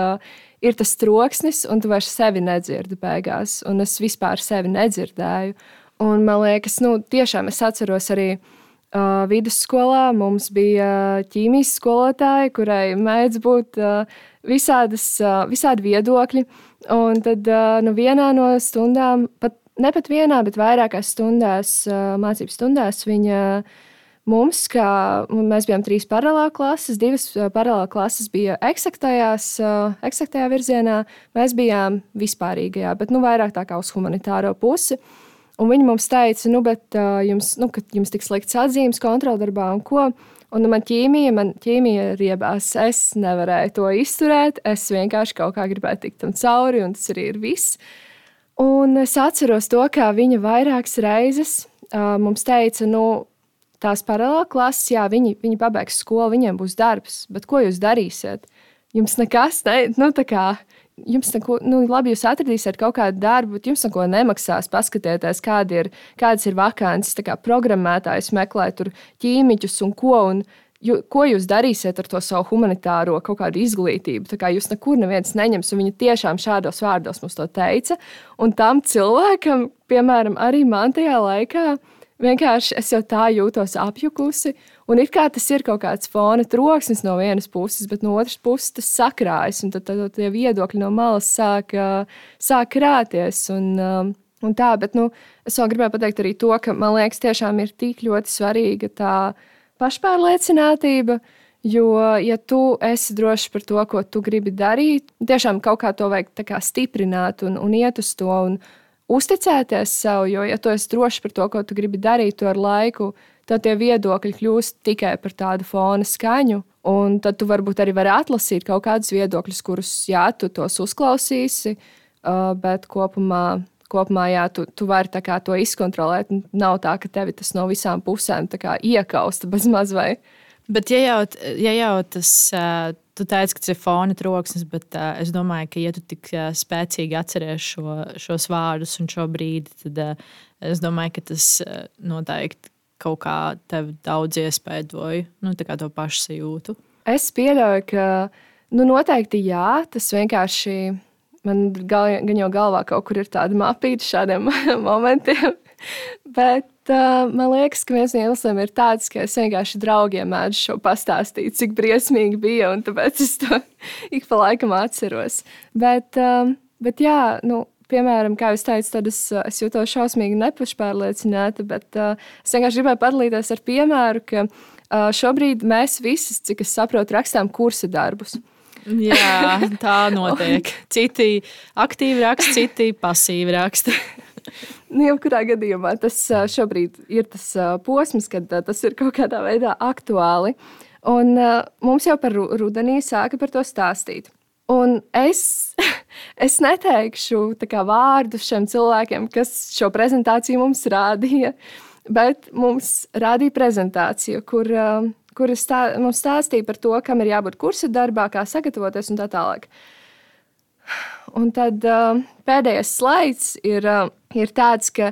ir tas troksnis, un tu vairs sevi nedzirdi beigās. Un es vispār sevi nedzirdēju. Un man liekas, tiešām es atceros arī vidusskolā. Mums bija ķīmijas skolotāja, kurai mēdz būt visādi viedokļi. Un tad vienā no stundām, ne pat vienā, bet vairākās stundās, mācību stundās, viņa mums, mēs bijām 3 paralēlā klases, 2 paralēlā klases bija eksaktajā virzienā, mēs bijām vispārīgajā, bet vairāk tā kā uz humanitāro pusi. Un viņi mums teica, bet jums tiks likts atzīmes kontroldarbā un ko. Un man ķīmija riebās. Es nevarēju to izturēt. Es vienkārši kaut kā gribēju tikt tam cauri, un tas arī ir viss. Un es atceros to, kā viņa vairākas reizes mums teica, tās paralēli klases, jā, viņi pabeigs skolu, viņiem būs darbs, bet ko jūs darīsiet? Jums nekas, jums neko, labi, jūs atradīsiet kaut kādu darbu, bet jums neko nemaksās. Paskatieties, kādas ir vakances, programmētājs meklē tur ķīmiķus un ko jūs darīsiet ar to savu humanitāro kaut kādu izglītību. Jūs nekur neviens neņems, un viņi tiešām šādos vārdos mums to teica. Un tam cilvēkam, piemēram, arī man tajā laikā, vienkārši es jau tā jūtos apjukusi, un it kā tas ir kaut kāds fona troksnis no vienas puses, bet no otras puses tas sakrājas, un tad tie viedokļi no malas sāk krāties, un tā, bet, es vēl gribēju pateikt arī to, ka, man liekas, tiešām ir tik ļoti svarīga tā pašpārliecinātība, jo, ja tu esi drošs par to, ko tu gribi darīt, tiešām kaut kā to vajag tā kā stiprināt un iet uz to, un uzticēties sev, jo, ja tu esi drošs par to, ko tu gribi darīt, to ar laiku, tad tie viedokļi kļūst tikai par tādu fona skaņu, un tad tu varbūt arī vari atlasīt kaut kādus viedokļus, kurus, jā, tu tos uzklausīsi, bet kopumā jā, tu vari tā kā to izkontrolēt. Nav tā, ka tevi tas no visām pusēm tā kā iekausta bez maz vai. Bet ja jau tas, tu teici, ka tas ir fona troksnis, bet es domāju, ka ja tu tik spēcīgi atceries šos vārdus un šo brīdi, tad es domāju, ka tas noteikti kaut kā tev daudz iespaidoja, tā kā to pašu sajūtu. Es pieļauju, ka noteikti jā, tas vienkārši man gan jau galvā kaut kur ir tāda mapīta šādiem momentiem, bet man liekas, ka viens no iemesliem ir tāds, ka es vienkārši draugiem mēdzu šo pastāstīt, cik briesmīgi bija, un tāpēc es to ik pa laikam atceros. Bet jā, piemēram, kā jūs teicat, tad es jūtos šausmīgi nepašpārliecināta, bet es vienkārši gribēju padalīties ar piemēru, ka šobrīd mēs visi, cik es saprotu, rakstām kursa darbus. Jā, tā notiek. Citi aktīvi raksta, citi pasīvi raksta. Jebkurā gadījumā tas šobrīd ir tas posms, kad tas ir kaut kādā veidā aktuāli. Un mums jau par rudenī sāka par to stāstīt. Un es neteikšu tā kā vārdus šiem cilvēkiem, kas šo prezentāciju mums rādīja, bet mums rādīja prezentāciju, kur mums stāstīja par to, kam ir jābūt kursa darbā, kā sagatavoties un tā tālāk. Un tad pēdējais slaids ir tāds, ka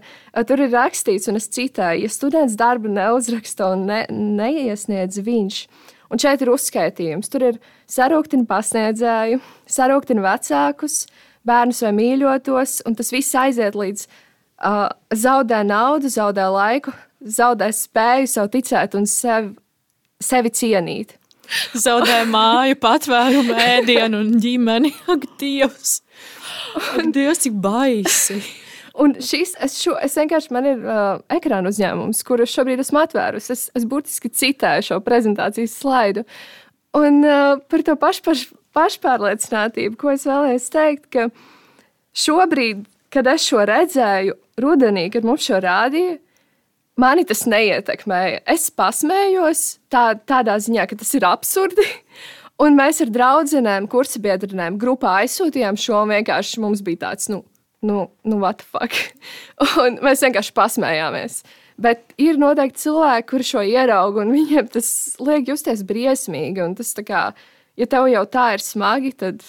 tur ir rakstīts, un es citēju, ja students darbu neuzraksta un neiesniedz viņš. Un šeit ir uzskaitījums. Tur ir sarūktina pasniedzēju, sarūktina vecākus, bērnus vai mīļotos, un tas viss aiziet līdz zaudē naudu, zaudē laiku, zaudē spēju sev ticēt un sevi cienīt. Zaudē māju, patvērumu, ēdienu un ģimeni. Ak, Dievs! Ak, Dievs, cik baisi! Un es vienkārši, man ir ekrāna uzņēmums, kuru šobrīd esmu atvērusi. Es burtiski citēju šo prezentācijas slaidu. Un par to pašpārliecinātību, ko es vēlējos teikt, ka šobrīd, kad es šo redzēju rudenī, kad mums šo rādīja, mani tas neietekmēja. Es pasmējos tādā ziņā, ka tas ir absurdi. Un mēs ar draudzenēm, kursabiedrinēm grupā aizsūtījām šo, un vienkārši mums bija tāds, what the fuck? Un mēs vienkārši pasmējāmies. Bet ir noteikti cilvēki, kuri šo ierauga, un viņiem tas liek justies briesmīgi. Un tas tā kā, ja tev jau tā ir smagi, tad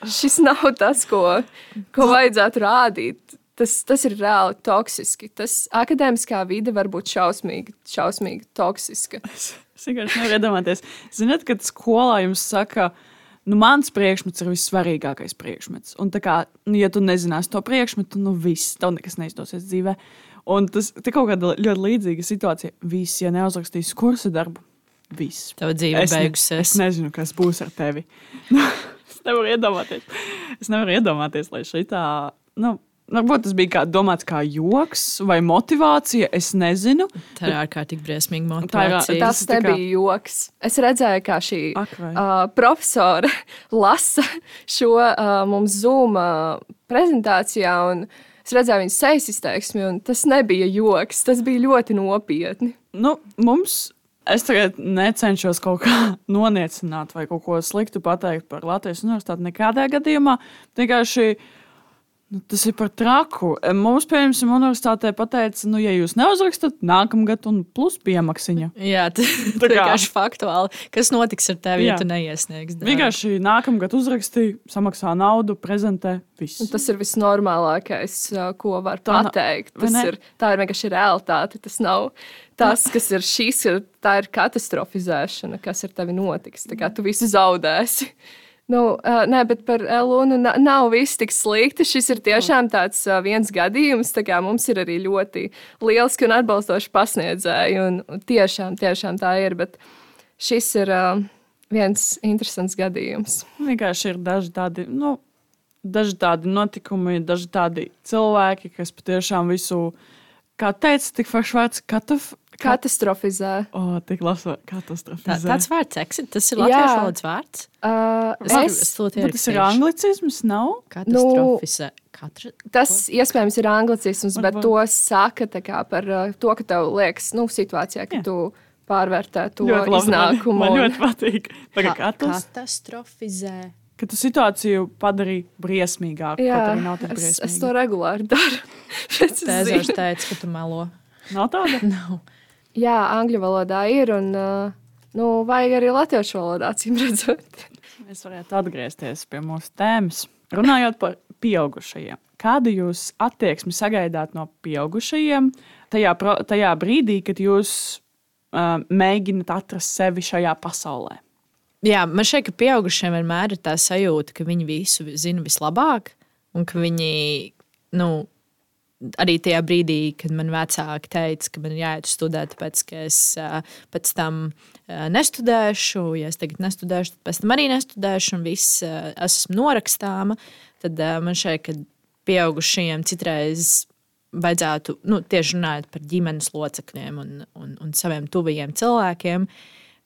šis nav tas, ko vajadzētu rādīt. Tas ir reāli toksiski. Tas akadēmiskā vide var būt šausmīgi toksiska. Es vienkārši nevaru iedomāties. Ziniet, kad skolā jums saka, mans priekšmets ir vissvarīgākais priekšmets. Un tā kā, ja tu nezināsi to priekšmetu, viss, tev nekas neizdosies dzīvē. Un tas ir kaut kāda ļoti līdzīga situācija. Viss, ja neuzrakstīs kursa darbu, viss. Tava dzīve beigusies. Es nezinu, kas būs ar tevi. Es nevaru iedomāties, lai šitā, varbūt tas bija domāts kā joks vai motivācija, es nezinu. Tā ir ārkārtīgi briesmīga motivācija. Tas nebija joks. Es redzēju, kā šī profesora lasa šo mums Zoom prezentācijā, un es redzēju viņas sejas izteiksmi, un tas nebija joks, tas bija ļoti nopietni. Mums Es tagad necenšos kaut kā noniecināt vai kaut ko sliktu pateikt par Latvijas universitāti nekādā gadījumā. Vienkārši tas ir par traku. Mums, piemēram, universitātē pateica, ja jūs neuzrakstat, nākamgad un plus piemaksiņa. Jā, tas ir vienkārši faktuāli. Kas notiks ar tevi, ja tu neiesniegsi? Vienkārši nākamgad uzrakstīja, samaksā naudu, prezentē, viss. Tas ir visnormālākais, ko var pateikt. Tā ir vienkārši realitāte. Tas nav tas, kas ir šīs, tā ir katastrofizēšana, kas ar tevi notiks. Tā kā tu visu zaudēsi. Nē, bet par Lunu nav viss tik slikti. Šis ir tiešām tāds viens gadījums. Mums ir arī ļoti lieliski un atbalstoši pasniedzēji. Un tiešām tā ir. Bet šis ir viens interesants gadījums. Vienkārši ir daži tādi notikumi, daži tādi cilvēki, kas patiešām visu, kā teica, tik foršs vārds, katastrofizē. Tik labi, katastrofizē. Tāds vārds, tas ir latviešu valodas vārds. Tas ir anglicisms, nav? Katastrofizē. Tas iespējams ir anglicisms, bet to saka par to, ka tev liekas situācijā, ka tu pārvērtē to iznākumu. Man ļoti patīk. Katastrofizē. Ka tu situāciju padarīji briesmīgāku. Jā, es to regulāri daru. Tēzars teica, ka tu melo. Nav tāda? Nav. Jā, angļu valodā ir, un vajag arī latviešu valodā, acīm redzot. Mēs varētu atgriezties pie mūsu tēmas. Runājot par pieaugušajiem. Kādu jūs attieksmi sagaidāt no pieaugušajiem tajā brīdī, kad jūs mēģināt atrast sevi šajā pasaulē? Jā, man šķiet, ka pieaugušiem vienmēr ir tā sajūta, ka viņi visu zina vislabāk, un ka viņi, arī tajā brīdī, kad man vecāki teica, ka man ir jāiet studēt, tāpēc, ka es pēc tam nestudēšu, ja es tagad nestudēšu, tad pēc tam arī nestudēšu, un viss esmu norakstāma, tad man šķiet, ka pieaugušajiem citreiz vajadzētu, tieši runājot par ģimenes locekļiem un saviem tuvajiem cilvēkiem,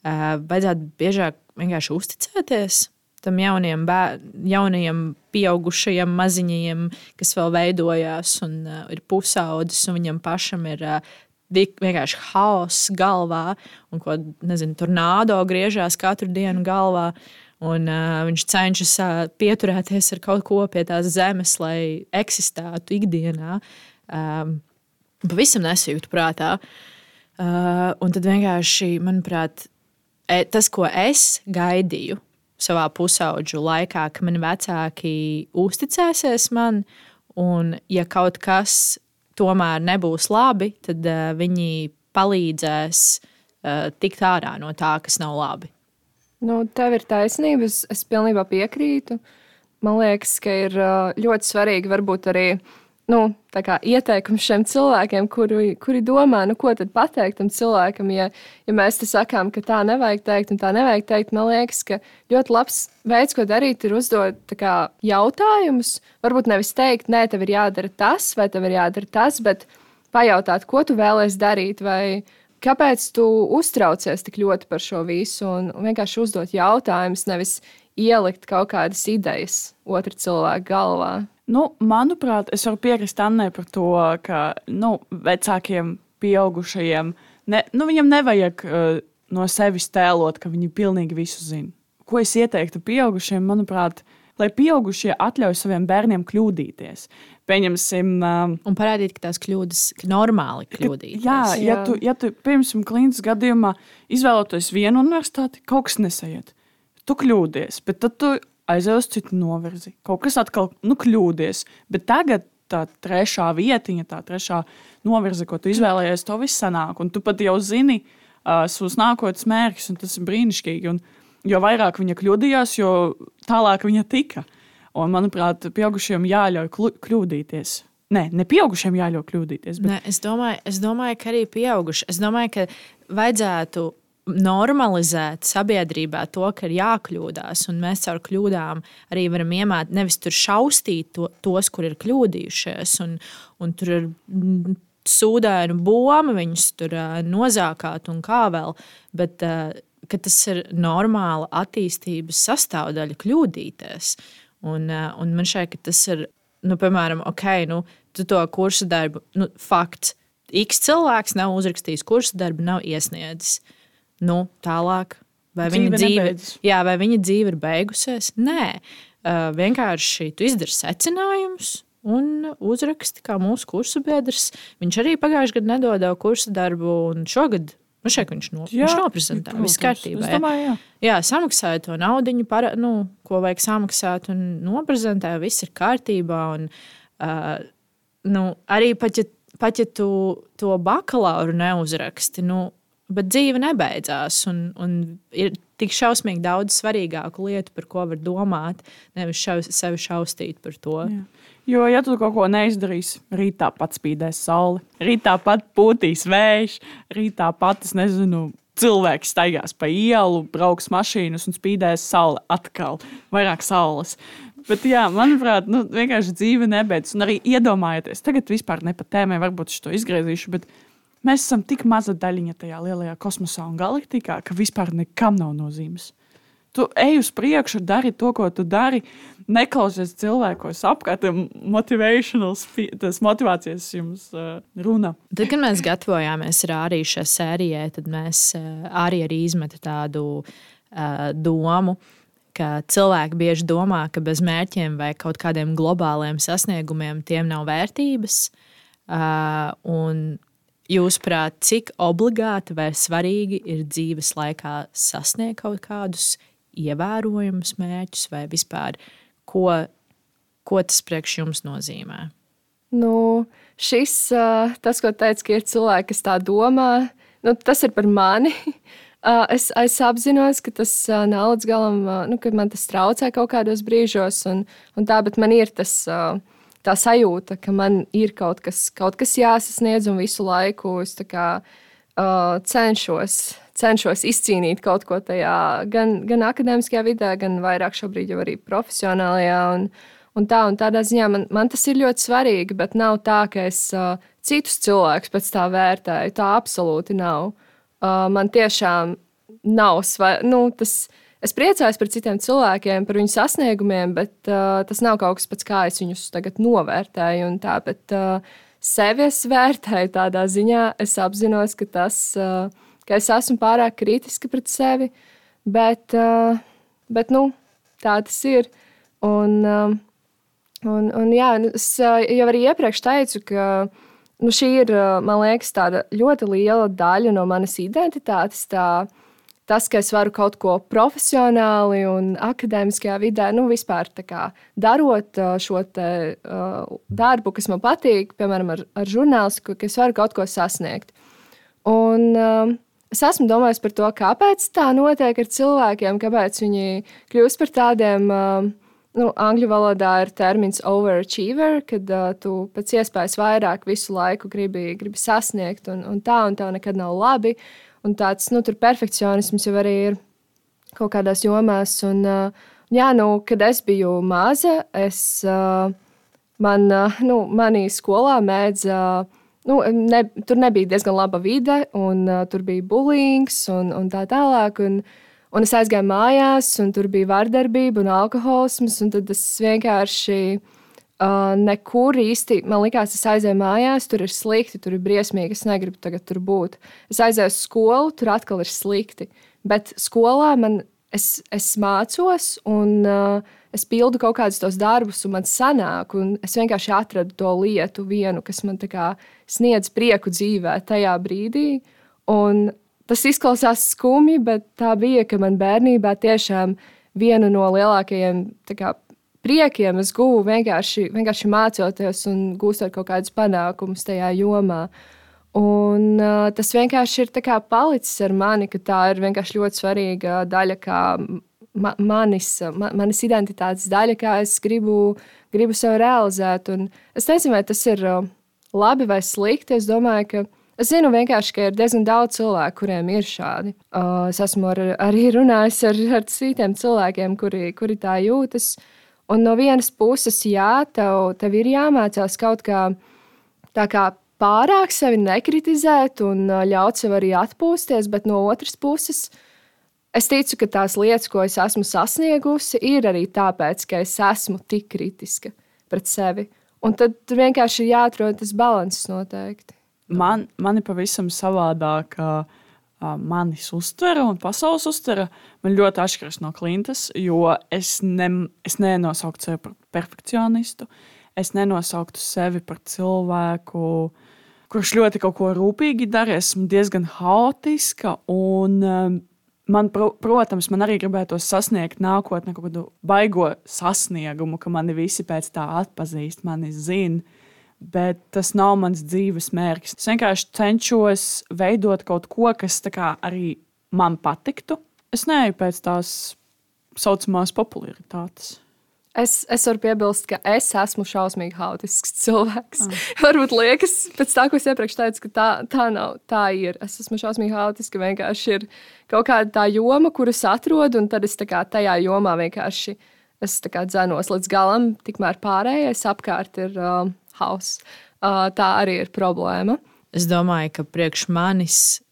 vajadzētu biežāk vienkārši uzticēties tam jaunajiem pieaugušajiem maziņiem, kas vēl veidojās un ir pusaudzis, un viņam pašam ir vienkārši haoss galvā, un tornādo griežās katru dienu galvā, un viņš cenšas pieturēties ar kaut ko pie tās zemes, lai eksistētu ikdienā. Pavisam nesajūtu prātā. Un tad vienkārši, manuprāt, tas, ko es gaidīju savā pusaudžu laikā, ka mani vecāki uzticēsies man, un ja kaut kas tomēr nebūs labi, tad viņi palīdzēs tikt ārā no tā, kas nav labi. Tev ir taisnība, es pilnībā piekrītu. Man liekas, ka ir ļoti svarīgi varbūt arī ieteikums šiem cilvēkiem, kuri domā, ko tad pateikt tam cilvēkam, ja mēs te sakām, ka tā nevajag teikt un tā nevajag teikt. Man liekas, ka ļoti labs veids, ko darīt, ir uzdot jautājumus. Varbūt nevis teikt, nē, tev ir jādara tas vai tev ir jādara tas, bet pajautāt, ko tu vēlies darīt vai kāpēc tu uztraucies tik ļoti par šo visu un vienkārši uzdot jautājumus, nevis ielikt kaut kādas idejas otra cilvēka galvā. Manuprāt, es varu piekrist Annai par to, ka vecākiem pieaugušajiem viņam nevajag no sevis tēlot, ka viņi pilnīgi visu zina. Ko es ieteiktu pieaugušiem, manuprāt, lai pieaugušie atļauj saviem bērniem kļūdīties. Pieņemsim... Un parādīt, ka tās kļūdas, ka normāli kļūdīties. Jā, ja tu pieņemsim klīnas gadījumā izvēloties vienu universitāti, kaut kas nesaiet. Tu kļūdies, bet tad tu aizej uz citu novirzi. Kaut kas atkal kļūdies. Bet tagad tā trešā vietiņa, tā trešā novirze, ko tu izvēlējies, to viss sanāk. Un tu pat jau zini savus nākotnes mērķus, un tas ir brīnišķīgi. Un jo vairāk viņa kļūdījās, jo tālāk viņa tika. Un, manuprāt, pieaugušiem jāļauj kļūdīties. Ne pieaugušiem jāļauj kļūdīties. Bet... Nē, es domāju, ka arī pieauguši. Es domāju, ka vajadzētu normalizēt sabiedrībā to, ka ir jākļūdās, un mēs caur kļūdām arī varam iemācīt, nevis tur šaustīt tos, kur ir kļūdījušies, un tur ir sūdainu boma, viņus tur nozākāt un kā vēl, bet ka tas ir normāla attīstības sastāvdaļa kļūdīties. Un man šķiet, ka tas ir, piemēram, tu to kursa darbu, fakts, X cilvēks nav uzrakstījis kursa darbu, nav iesniedzis. tālāk. Vai Dzīve viņa dzīve ir beigusies? Nē, vienkārši tu izdari secinājumus un uzraksti kā mūsu kursu biedrs. Viņš arī pagājušajā gadā nedodeva kursu darbu, un šogad viņš noprezentē. Viss kārtībā. Jā, samaksāja to naudiņu, ko vajag samaksāt, un noprezentē. Viss ir kārtībā. Un, arī pat ja tu to bakalauru neuzraksti, bet dzīve nebeidzās. Un ir tik šausmīgi daudz svarīgāku lietu, par ko var domāt, nevis sevi šaustīt par to. Jā. Jo, ja tu kaut ko neizdarīsi, rītā pat spīdēs saule, rītā pat pūtīs vējš, rītā pat, cilvēks staigās pa ielu, brauks mašīnas un spīdēs saule atkal, vairāk saules. Bet, jā, manuprāt, vienkārši dzīve nebeidz. Un arī iedomājieties, tagad vispār ne pa tēmai, varbūt es to izgriezīšu, bet mēs esam tik maza daļiņa tajā lielajā kosmosā un galaktikā, ka vispār nekam nav nozīmes. Tu ej uz priekšu, dari to, ko tu dari, neklausies cilvēkos apkārt, tas motivācijas jums runa. Tad, kad mēs gatavojāmies ar Āriju šai sērijai, tad mēs arī izmetu tādu domu, ka cilvēki bieži domā, ka bez mērķiem vai kaut kādiem globāliem sasniegumiem tiem nav vērtības. Un jūsuprāt, cik obligāti vai svarīgi ir dzīves laikā sasniegt kaut kādus ievērojumus mērķus vai vispār, ko tas priekš jums nozīmē? Tas, ko teica, ka ir cilvēki, kas tā domā, tas ir par mani. Es apzinos, ka tas nav līdz galam, ka man tas traucē kaut kādos brīžos, un tā, bet man ir tā sajūta, ka man ir kaut kas jāsasniedz, un visu laiku es cenšos izcīnīt kaut ko tajā, gan akadēmiskajā vidē, gan vairāk šobrīd jau arī profesionālajā. Un tādā ziņā man tas ir ļoti svarīgi, bet nav tā, ka es citus cilvēkus pēc tā vērtēju. Tā absolūti nav. Man tiešām nav svarīgi. Es priecājos par citiem cilvēkiem, par viņu sasniegumiem, bet tas nav kaut kas pēc kā es viņus tagad novērtēju. Bet sevi es vērtēju tādā ziņā. Es apzinos, ka es esmu pārāk kritiska pret sevi, bet tā tas ir. Un jā, es jau arī iepriekš teicu, ka šī ir, man liekas, tāda ļoti liela daļa no manas identitātes. Tas, ka es varu kaut ko profesionāli un akadēmiskajā vidē, vispār darot šo darbu, kas man patīk, piemēram, ar žurnālistiku, ka es varu kaut ko sasniegt. Un es esmu domājis par to, kāpēc tā notiek ar cilvēkiem, kāpēc viņi kļūst par tādiem, angļu valodā ir termins overachiever, kad tu pēc iespējas vairāk visu laiku gribi sasniegt, un tev nekad nav labi. Un tāds tur perfekcionisms jau arī ir kaut kādās jomās. Un, kad es biju maza, manī skolā mēdza, tur nebija diezgan laba vide, un tur bija bullyings un tā tālāk. Un es aizgāju mājās, un tur bija vardarbība un alkoholisms, un tad es vienkārši nekur īsti, man likās, es aizēju mājās, tur ir slikti, tur ir briesmīgi, es negribu tagad tur būt. Es aizēju uz skolu, tur atkal ir slikti. Bet skolā es mācos, un es pildu kaut kādus tos darbus, un man sanāk, un es vienkārši atradu to lietu vienu, kas man sniedz prieku dzīvē tajā brīdī. Un tas izklausās skumji, bet tā bija, ka man bērnībā tiešām viena no lielākajiem priekiem es guvu vienkārši mācoties un gūstot kaut kādus panākumus tajā jomā. Un tas vienkārši ir palicis ar mani, ka tā ir vienkārši ļoti svarīga daļa, kā manis identitātes daļa, kā es gribu sev realizēt. Un es nezinu, vai tas ir labi vai slikti. Es domāju, ka es zinu vienkārši, ka ir diezgan daudz cilvēku, kuriem ir šādi. Es esmu arī runājis ar citiem cilvēkiem, kuri tā jūtas. Un no vienas puses, jā, tev ir jāmācās kaut kā pārāk sevi nekritizēt un ļaut sev arī atpūsties, bet no otras puses, es ticu, ka tās lietas, ko es esmu sasniegusi, ir arī tāpēc, ka es esmu tik kritiska pret sevi. Un tad vienkārši ir jāatrod tas balanss noteikti. Man ir pavisam savādāk. manis uztvere un pasaules uztvere man ļoti atšķiras no Klintas, jo es nenosauktu sevi par perfekcionistu. Es nenosauktu sevi par cilvēku, kurš ļoti kaut ko rūpīgi dara. Esmu diezgan haotiska un protams, man arī gribētos sasniegt nākotnē kaut kādu baigo sasniegumu, ka mani visi pēc tā atpazīst, mani zina. Bet tas nav mans dzīves mērķis. Es vienkārši cenšos veidot kaut ko, kas tā kā arī man patiktu. Es neeju pēc tās saucamās popularitātes. Es varu piebilst, ka es esmu šausmīgi haotisks cilvēks. Varbūt liekas, pēc tā, ko es iepriekš teicu, ka tā nav, tā ir. Es esmu šausmīgi haotiska, vienkārši ir kaut kāda tā joma, kuras atrodu, un tad es tā kā tajā jomā vienkārši dzenos līdz galam, tikmēr pārējais apkārt ir hauss. Tā arī ir problēma. Es domāju, ka priekš manis,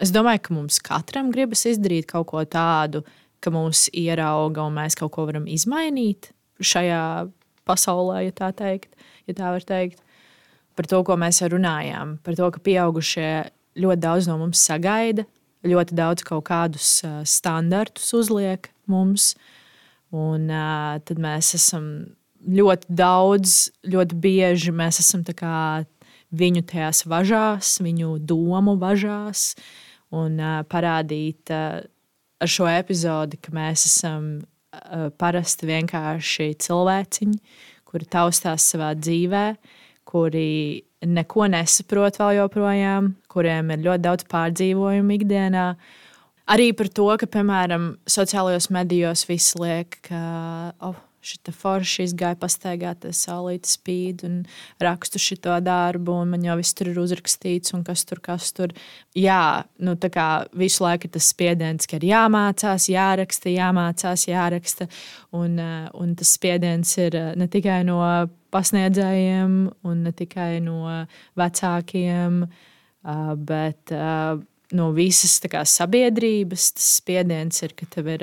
es domāju, ka mums katram gribas izdarīt kaut ko tādu, ka mūs ierauga un mēs kaut ko varam izmainīt šajā pasaulē, ja tā var teikt. Par to, ko mēs runājām, par to, ka pieaugušie ļoti daudz no mums sagaida, ļoti daudz kaut kādus standartus uzliek mums, un tad mēs esam ļoti daudz, ļoti bieži mēs esam tā kā viņu tajās važās, viņu domu važās, un parādīt ar šo epizodi, ka mēs esam parasti vienkārši cilvēciņi, kuri taustās savā dzīvē, kuri neko nesaprot vēl joprojām, kuriem ir ļoti daudz pārdzīvojumu ikdienā. Arī par to, ka, piemēram, sociālajos medijos visi liek, ka šita forša izgāja pastaigāties, saulīte spīd un rakstu šito darbu, un man jau viss tur ir uzrakstīts, un kas tur. Jā, tā kā visu laiku ir tas spiediens, ka ir jāmācās, jāraksta, un tas spiediens ir ne tikai no pasniedzējiem, un ne tikai no vecākiem, bet no visas kā, sabiedrības tas spiediens ir, ka tev ir,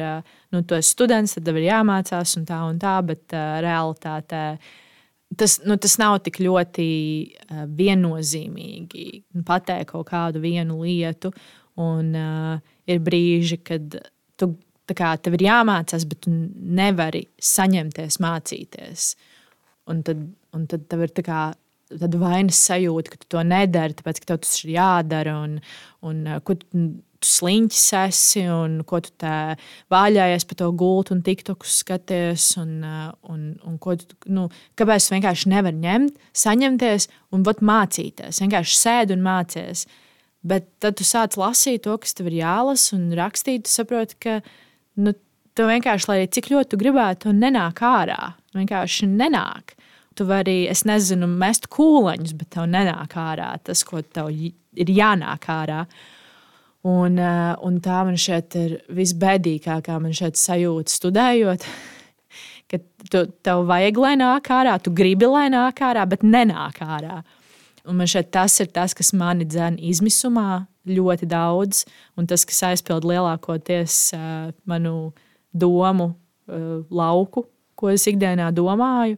tu esi students, tad tev ir jāmācās un tā, bet realitātē tas nav tik ļoti viennozīmīgi pateikt kaut kādu vienu lietu, un ir brīži, kad tev ir jāmācās, bet tu nevari saņemties mācīties. Un tad tev ir tā kā tad vainas sajūta, ka tu to nedari, tāpēc, ka tev tas ir jādara, un ko tu sliņķis esi, un ko tu tā vāļājies pa to gultu un tiktokus skaties, un ko tu, kāpēc tu vienkārši nevar ņemt, saņemties un mācīties. Vienkārši sēdi un mācies. Bet tad tu sāc lasīt to, kas tev ir jālasa, un rakstīt, tu saproti, ka tu vienkārši, lai cik ļoti tu gribētu, to nenāk ārā. Vienkārši nenāk. Tu vari, es nezinu, mest kūleņus, bet tev nenāk ārā tas, ko tev ir jānāk ārā. Un tā man šeit ir visbēdīgākā man šeit sajūta studējot, ka tev vajag, lai nāk ārā, tu gribi, lai nāk ārā, bet nenāk ārā. Un man šeit tas ir tas, kas mani dzen izmisumā ļoti daudz, un tas, kas aizpild lielākoties manu domu lauku, ko es ikdienā domāju,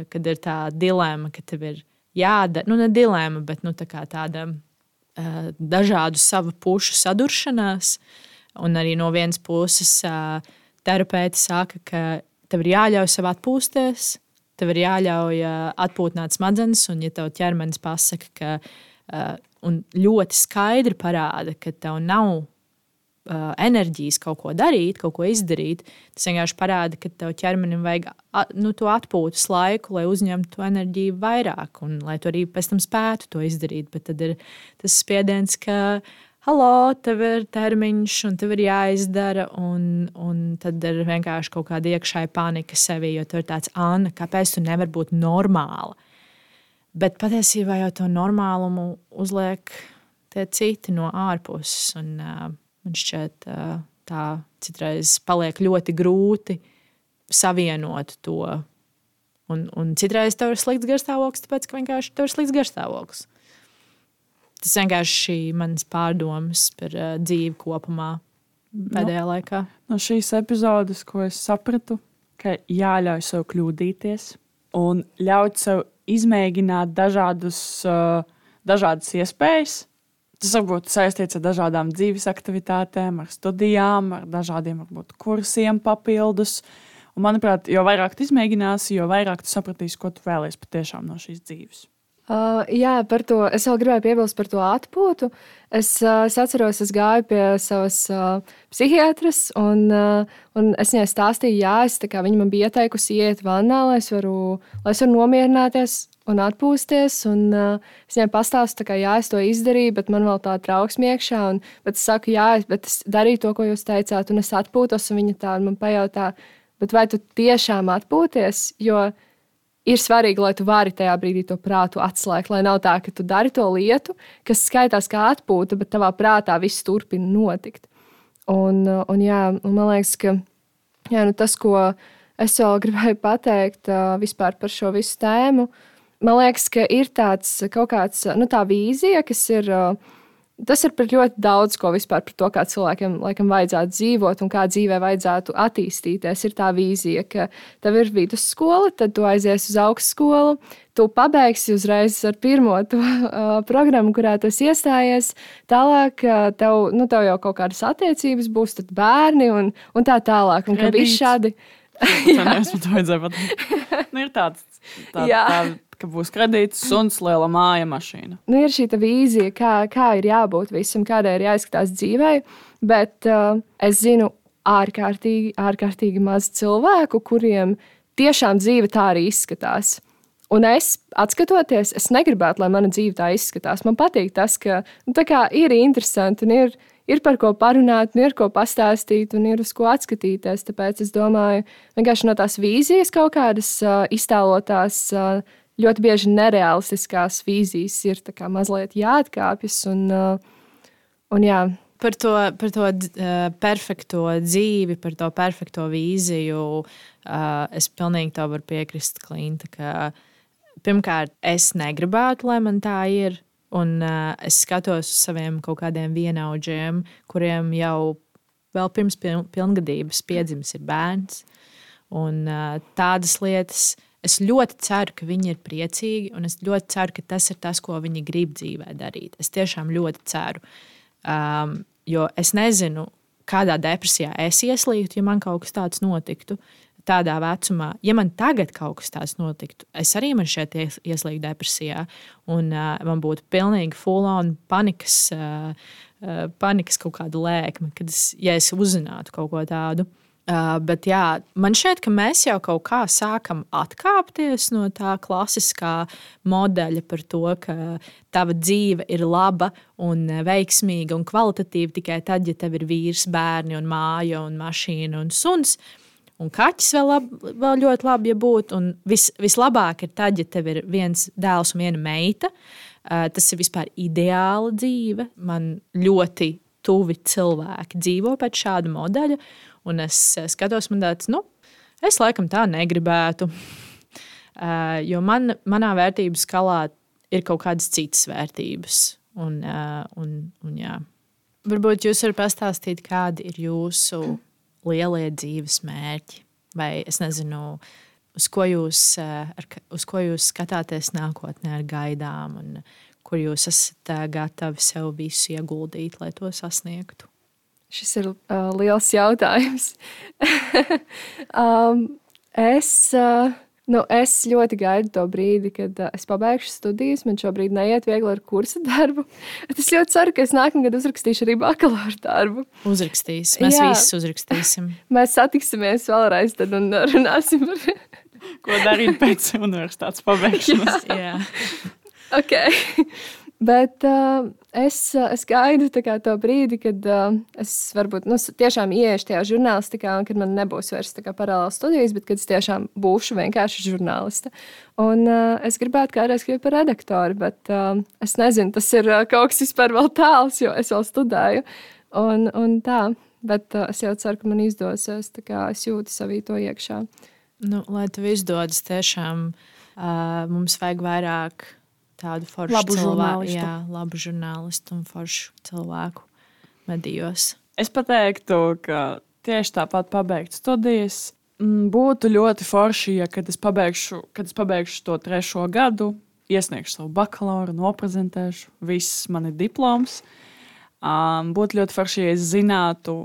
kad ir tā dilema, ka tev ir jādara, ne dilema, bet tāda dažādu savu pušu saduršanās, un arī no vienas puses terapeiti saka, ka tev ir jāļauj sev atpūsties, tev ir jāļauj atpūtināt smadzenes, un ja tev ķermenis pasaka, ka un ļoti skaidri parāda, ka tev nav enerģijas kaut ko darīt, kaut ko izdarīt, tas vienkārši parāda, ka tev ķermenim vajag to atpūtas laiku, lai uzņemtu to enerģiju vairāk, un lai tu arī pēc tam spētu to izdarīt. Bet tad ir tas spiediens, ka halo, tev ir termiņš, un tev ir jāizdara, un tad ir vienkārši kaut kāda iekšēja panika sevī, jo tu ir tāds, Anna, kāpēc tu nevari būt normāla? Bet patiesībā jau to normālumu uzliek tie citi no ārpuses, un man šķiet, tā citreiz paliek ļoti grūti savienot to. Un citreiz tev ir slikts garstāvoklis, tāpēc, ka vienkārši tev ir slikts garstāvoklis. Tas vienkārši manas pārdomas par dzīvi kopumā pēdējā laikā. No šīs epizodes, ko es sapratu, ka jāļauj sev kļūdīties un ļaut sev izmēģināt dažādas iespējas, Tas varbūt saistīts ar dažādām dzīves aktivitātēm, ar studijām, ar dažādiem varbūt kursiem papildus. Un, manuprāt, jo vairāk tu izmēģināsi, jo vairāk tu sapratīsi, ko tu vēlies patiešām no šīs dzīves. Jā, par to es vēl gribēju piebilst par to atpūtu. Es atceros, es gāju pie savas psihiatras, un es viņai stāstīju, viņa man bija ieteikusi iet vannā, lai es varu nomierināties un atpūsties. Un, es viņai pastāstu, ka es to izdarīju, bet man vēl tā trauksme iekšā. Bet es saku, bet es darīju to, ko jūs teicāt, un es atpūtos. Un viņa tā man pajautā, bet vai tu tiešām atpūties? Jo ir svarīgi, lai tu vari tajā brīdī to prātu atslēgt, lai nav tā, ka tu dari to lietu, kas skaitās kā atpūta, bet tavā prātā viss turpina notikt. Un man liekas, ka tas, ko es vēl gribēju pateikt vispār par šo visu tēmu, man liekas, ka ir tāds kaut kāds, tā vīzija, kas ir... Tas ir par ļoti daudz ko vispār par to, kā cilvēkiem laikam vajadzētu dzīvot un kā dzīvē vajadzētu attīstīties. Ir tā vīzija, ka tev ir vidusskola, tad tu aizies uz augstskolu, tu pabeigsi uzreiz ar pirmo to programmu, kurā tu esi iestājies. Tālāk tev jau kaut kādas attiecības būs, tad bērni un tā tālāk. Un ka viss šādi... Es to vajadzēju pateikt. Ir tāds ka būs kredīts, suns, liela māja, mašīna. Ir šī vīzija, kā ir jābūt visam, kādai ir jāizskatās dzīvē, bet es zinu ārkārtīgi maz cilvēku, kuriem tiešām dzīve tā arī izskatās. Un es, atskatoties, es negribētu, lai mana dzīve tā izskatās. Man patīk tas, ka ir interesanti un ir par ko parunāt, un ir ko pastāstīt, un ir uz ko atskatīties. Tāpēc es domāju, vienkārši no tās vīzijas kaut kādas iztēlotās, ļoti bieži nerealistiskās vīzijas ir mazliet jāatkāpjas. Un jā. Par to perfekto dzīvi, par to perfekto vīziju, es pilnīgi tev varu piekrist, Klinta, ka pirmkārt es negribētu, lai man tā ir. Un es skatos uz saviem kaut kādiem vienaudžiem, kuriem jau vēl pirms pilngadības piedzimis ir bērns. Un tādas lietas... Es ļoti ceru, ka viņi ir priecīgi, un es ļoti ceru, ka tas ir tas, ko viņi grib dzīvē darīt. Es tiešām ļoti ceru, jo es nezinu, kādā depresijā es ieslīgtu, ja man kaut kas tāds notiktu tādā vecumā. Ja man tagad kaut kas tāds notiktu, es arī man šeit ieslīgtu depresijā, un man būtu pilnīgi full-on panikas kaut kāda lēkme, ja es uzzinātu kaut ko tādu. Bet jā, man šķiet, ka mēs jau kaut kā sākam atkāpties no tā klasiskā modeļa par to, ka tava dzīve ir laba un veiksmīga un kvalitatīva tikai tad, ja tev ir vīrs, bērni un māja un mašīna un suns. Un kaķis vēl ļoti labi, ja būtu. Un vislabāk ir tad, ja tev ir viens dēls un viena meita. Tas ir vispār ideāla dzīve. Man ļoti tuvi cilvēki dzīvo pēc šāda modeļa. Un es skatos, man tāds, es laikam tā negribētu. Jo manā vērtību skalā ir kaut kādas citas vērtības. Un jā. Varbūt jūs varat pastāstīt, kādi ir jūsu lielie dzīves mērķi? Vai es nezinu, uz ko jūs skatāties nākotnē ar gaidām un kur jūs esat gatavi sev visu ieguldīt, lai to sasniegtu? Šis ir liels jautājums. Es ļoti gaidu to brīdi, kad es pabeigšu studijas. Man šobrīd neiet viegli ar kursa darbu. Es ļoti ceru, ka es nākamgad uzrakstīšu arī bakalaura darbu. Uzrakstīs. Mēs visi uzrakstīsim. Mēs satiksimies vēlreiz tad un runāsim par... Ko darīt pēc universitātes pabeigšanas. Jā. Ok. Bet es gaidu to brīdi, kad es varbūt tiešām ieiešu tajā žurnālistikā, un kad man nebūs vairs paralēli studijas, bet kad es tiešām būšu vienkārši žurnāliste. Un es gribētu kādreiz kļūt par redaktoru, bet es nezinu, tas ir kaut kas vispār vēl tāls, jo es vēl studēju. Un tā, bet es jau ceru, ka man izdosies, tā kā es jūtu savī to iekšā. Lai tev izdodas tiešām, mums vajag vairāk tādu foršu cilvēku. Jā, labu žurnālistu un foršu cilvēku medijos. Es pateiktu, ka tieši tāpat pabeigt studijas būtu ļoti forši, ja kad es pabeigšu to 3. gadu, iesniegšu savu bakalauru, noprezentēšu, viss man ir diploms. Būtu ļoti forši, ja es zinātu,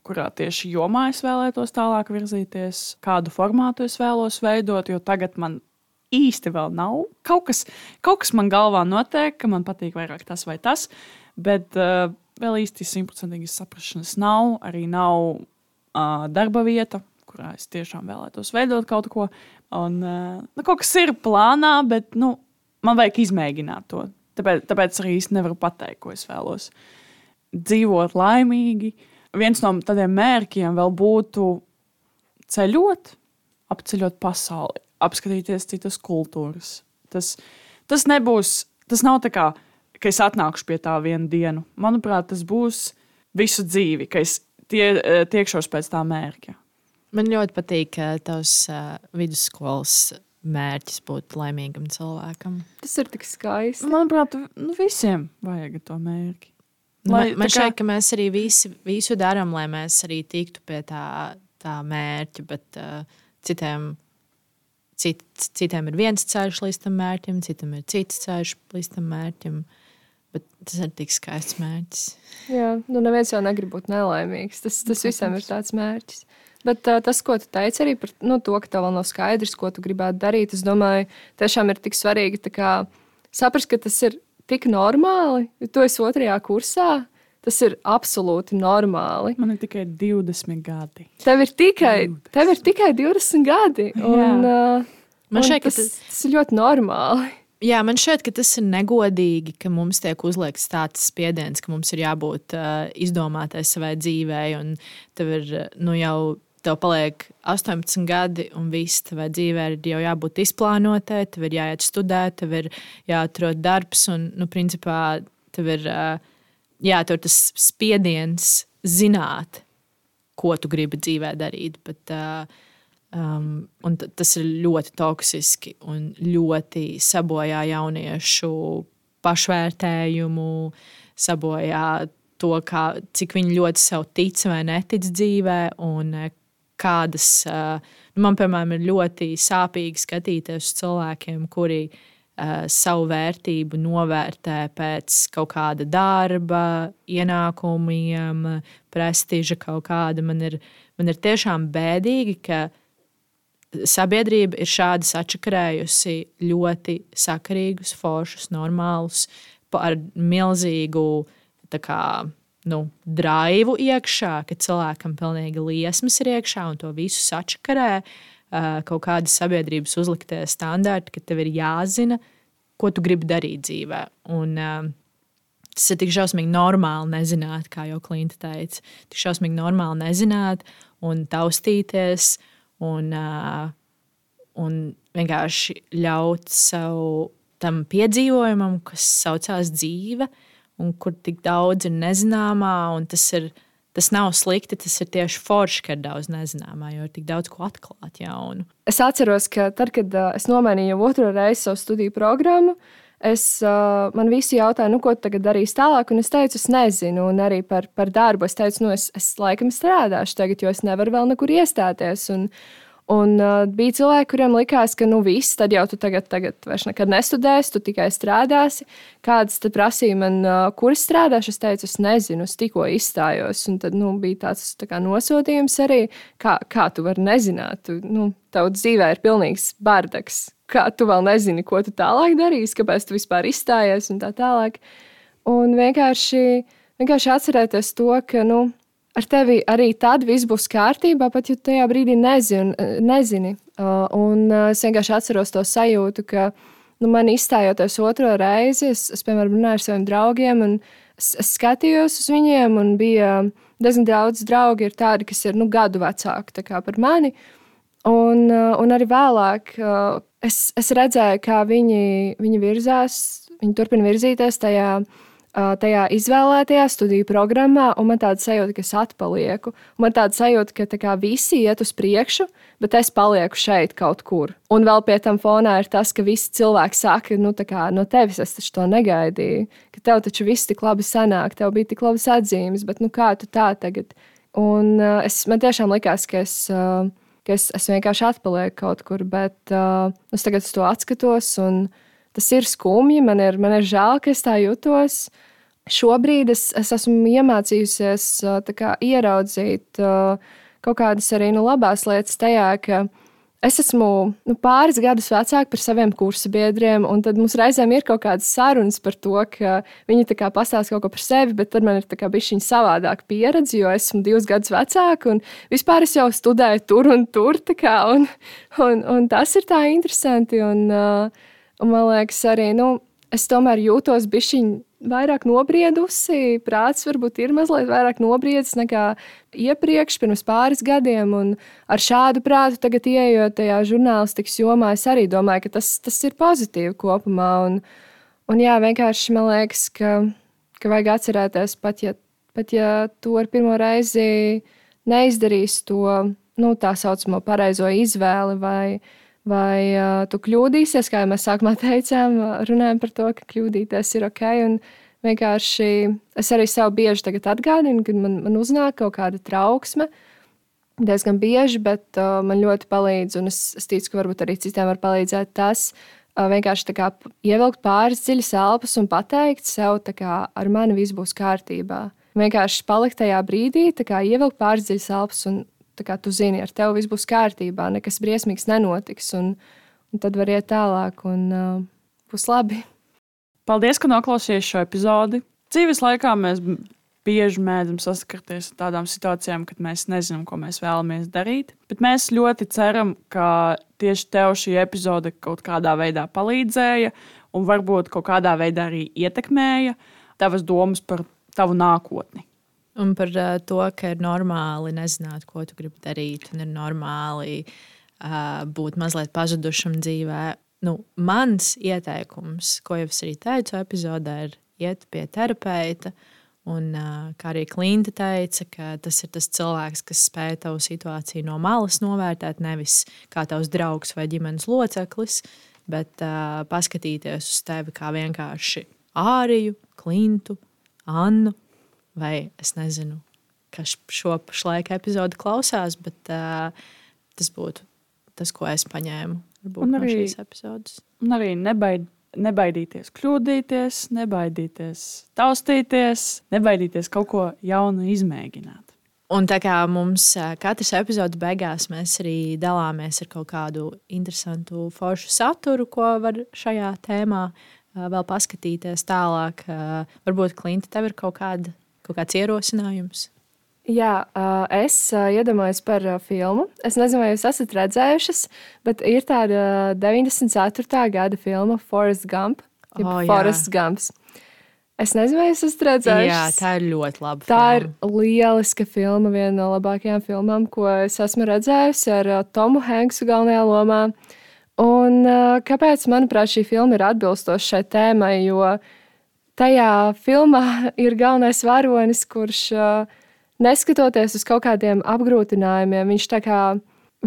kurā tieši jomā es vēlētos tālāk virzīties, kādu formātu es vēlos veidot, jo tagad man īsti vēl nav. Kaut kas man galvā notiek, ka man patīk vairāk tas vai tas, bet vēl īsti 100% saprašanas nav. Arī nav darba vieta, kurā es tiešām vēlētos veidot kaut ko. Un, kaut kas ir plānā, bet man vajag izmēģināt to. Tāpēc arī īsti nevaru pateikt, ko es vēlos. Dzīvot laimīgi. Viens no tādiem mērķiem vēl būtu ceļot, apceļot pasauli, apskatīties citas kultūras. Tas nav tā kā, ka es atnākšu pie tā vienu dienu. Manuprāt, tas būs visu dzīvi, ka es tiekšos pēc tā mērķa. Man ļoti patīk, ka tavs vidusskolas mērķis būt laimīgam cilvēkam. Tas ir tik skaisti. Manuprāt, visiem vajag to mērķi. Man šķiet, ka mēs arī visu darām, lai mēs arī tiktu pie tā mērķa, bet citiem ir viens ceļš līdz tam mērķim, citam ir cits ceļš līdz tam mērķim, bet tas ir tik skaists mērķis. Jā, neviens jau negrib būt nelaimīgs, tas visam ir tāds mērķis. Bet tas, ko tu teici arī par to, ka tev vēl nav skaidrs, ko tu gribētu darīt, es domāju, tiešām ir tik svarīgi saprast, ka tas ir tik normāli, jo tu esi 2. kursā. Tas ir absolūti normāli. Man ir tikai 20 gadi. Tev ir tikai 20 gadi. Un, man šķiet, ka tas ir ļoti normāli. Jā, man šķiet, ka tas ir negodīgi, ka mums tiek uzliekts tāds spiediens, ka mums ir jābūt izdomātai savai dzīvei. Un tev paliek 18 gadi, un viss tavai dzīvē ir jau jābūt izplānotai, tev ir jāiet studēt, tev ir jāatrod darbs, un, principā, tev ir tas spiediens zināt, ko tu gribi dzīvē darīt. Bet, tas ir ļoti toksiski un ļoti sabojā jauniešu pašvērtējumu, sabojā to, cik viņi ļoti sev tic vai netic dzīvē, un kādas, man, piemēram, ir ļoti sāpīgi skatīties uz cilvēkiem, kuri savu vērtību novērtē pēc kaut kāda darba, ienākumiem, prestiža kaut kāda. Man ir tiešām bēdīgi, ka sabiedrība ir šādi sačakarējusi ļoti sakarīgus, foršus, normālus, ar milzīgu draivu iekšā, ka cilvēkam pilnīgi liesmas ir iekšā un to visu sačakarē kaut kādi sabiedrības uzliktie standarti, ka tev ir jāzina, ko tu gribi darīt dzīvē. Un tas ir tik šausmīgi normāli nezināt, kā jau Klinta teica. Tik šausmīgi normāli nezināt un taustīties un vienkārši ļaut sev tam piedzīvojumam, kas saucās dzīve, un kur tik daudz ir nezināmā, un tas nav slikti, tas ir tieši forši, ka ir daudz nezināmā, jo ir tik daudz ko atklāt jaunu. Es atceros, ka tad, kad es nomainīju 2. reizi savu studiju programmu, man visi jautāja, ko tu tagad darīsi tālāk, un es teicu, es nezinu, un arī par darbu. Es teicu, es laikam strādāšu tagad, jo es nevaru vēl nekur iestāties, un bija cilvēki, kuriem likās, ka viss, tad jau tu tagad vairs nekad nestudēsi, tu tikai strādāsi. Kādas te prasīja man, kur es strādāšu? Es teicu, es nezinu, es tikko izstājos. Un tad bija tāds nosodījums arī, kā tu vari nezināt. Tavu dzīvē ir pilnīgs bardaks. Kā tu vēl nezini, ko tu tālāk darīsi, kāpēc tu vispār izstājies un tā tālāk. Un vienkārši atcerēties to, ka, ar tevi arī tad viss būs kārtībā, pat ja tajā brīdī nezini. Un es vienkārši atceros to sajūtu, ka man izstājoties 2. reizi, es piemēram, runāju ar saviem draugiem, un es skatījos uz viņiem, un bija diezgan daudz draugi ir tādi, kas ir gadu vecāki par mani. Un arī vēlāk es redzēju, kā viņi virzās, viņi turpina virzīties tajā izvēlētajā studiju programmā, un man tāda sajūta, ka es atpalieku. Man tāda sajūta, ka visi iet uz priekšu, bet es palieku šeit kaut kur. Un vēl pie tam fonā ir tas, ka visi cilvēki saka, no tevis es taču to negaidīju, ka tev taču viss tik labi sanāk, tev bija tik labas atzīmes, bet kā tu tā tagad? Un man tiešām likās, ka es vienkārši atpalieku kaut kur, bet es tagad uz to atskatos, un tas ir skumji, man ir žēl, ka es tā jutos. Šobrīd es esmu iemācījusies ieraudzīt kaut kādas arī labās lietas tajā, ka es esmu pāris gadus vecāka par saviem kursabiedriem, un tad mums reizēm ir kaut kādas sarunas par to, ka viņi pastāsta kaut ko par sevi, bet tad man ir bišķiņa savādāka pieredze, jo esmu 2 gadus vecāka, un vispār es jau studēju tur un tur, un tas ir tā interesanti, un man liekas arī, es tomēr jūtos bišķiņa vairāk nobriedusi, prāts varbūt ir mazliet vairāk nobriedis nekā iepriekš, pirms pāris gadiem, un ar šādu prātu tagad ieejot tajā žurnālistikas jomā, es arī domāju, ka tas ir pozitīvi kopumā, un jā, vienkārši man liekas, ka vajag atcerēties, pat ja tu ar pirmo reizi neizdarīs to, tā saucamo pareizo izvēli, vai tu kļūdīsies, kā jau mēs sākumā teicām, runājam par to, ka kļūdīties ir ok, un vienkārši es arī sev bieži tagad atgādinu, kad man uznāk kaut kāda trauksme, diezgan bieži, bet man ļoti palīdz, un es ticu, ka varbūt arī citiem var palīdzēt tas, vienkārši ievilkt pāris dziļas elpas un pateikt sev, ar mani viss būs kārtībā. Vienkārši palikt tajā brīdī, ievilkt pāris dziļas elpas un tu zini, ar tevi viss būs kārtībā, nekas briesmīgs nenotiks, un tad var iet tālāk, un būs labi. Paldies, ka noklausījāties šo epizodi. Dzīves laikā mēs bieži mēdzam saskarties ar tādām situācijām, kad mēs nezinām, ko mēs vēlamies darīt, bet mēs ļoti ceram, ka tieši tev šī epizode kaut kādā veidā palīdzēja un varbūt kaut kādā veidā arī ietekmēja tavas domas par tavu nākotni. Un par to, ka ir normāli nezināt, ko tu gribi darīt, un ir normāli būt mazliet pazudušam dzīvē. Mans ieteikums, ko jau es arī teicu epizodē, ir iet pie terapeita. Un, kā arī Klinta teica, ka tas ir tas cilvēks, kas spēj tavu situāciju no malas novērtēt, nevis kā tavs draugs vai ģimenes loceklis, bet paskatīties uz tevi kā vienkārši Āriju, Klintu, Annu. Vai es nezinu, kas šo pašlaik epizodi klausās, bet tas būtu tas, ko es paņēmu no šīs epizodes. Un arī nebaidīties kļūdīties, nebaidīties taustīties, nebaidīties kaut ko jaunu izmēģināt. Un tā kā mums katras epizodes beigās mēs arī dalāmies ar kaut kādu interesantu foršu saturu, ko var šajā tēmā vēl paskatīties tālāk. Varbūt, Klinta, tev ir kaut kāds ierosinājums? Jā, es iedomājos par filmu. Es nezinu, vai jūs esat redzējušas, bet ir tāda 94. gada filma Forrest Gump. Forrest Gumps. Es nezinu, vai jūs esat redzējušas. Jā, tā ir ļoti laba filma. Tā ir lieliska filma, viena no labākajām filmām, ko es esmu redzējusi ar Tomu Hanksu galvenajā lomā. Un kāpēc, manuprāt, šī filma ir atbilstoša šai tēmai, jo tajā filmā ir galvenais varonis, kurš neskatoties uz kaut kādiem apgrūtinājumiem,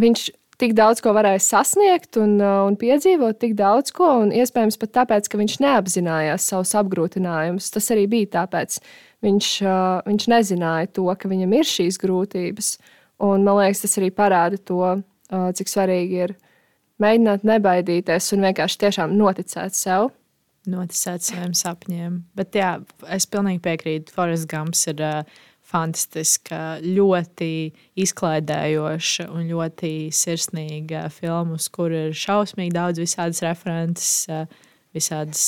viņš tik daudz ko varēja sasniegt un piedzīvot tik daudz ko, un iespējams pat tāpēc, ka viņš neapzinājās savus apgrūtinājumus. Tas arī bija tāpēc. Viņš nezināja to, ka viņam ir šīs grūtības, un man liekas, tas arī parāda to, cik svarīgi ir mēģināt nebaidīties un vienkārši tiešām noticēt sev. Noticēt saviem sapņiem. Bet jā, es pilnīgi piekrītu. Forrest Gumps ir fantastiska, ļoti izklaidējoša un ļoti sirsnīga filma, uz kur ir šausmīgi daudz visādas references, visādas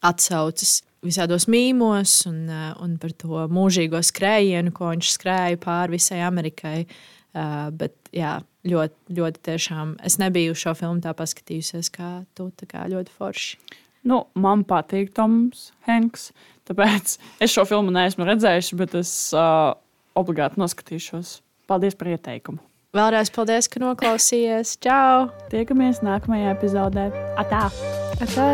atsauces, visādos mīmos un par to mūžīgo skrējienu, ko viņš skrēja pāri visai Amerikai. Bet jā, ļoti, ļoti tiešām es nebiju šo filmu tā paskatījusies kā tu, tā kā ļoti forši. Man patīk Toms Hanks, tāpēc es šo filmu neesmu redzējuši, bet es obligāti noskatīšos. Paldies par ieteikumu. Vēlreiz paldies, ka noklausījies. Čau! Tiekamies nākamajā epizodē. Atā! Atā!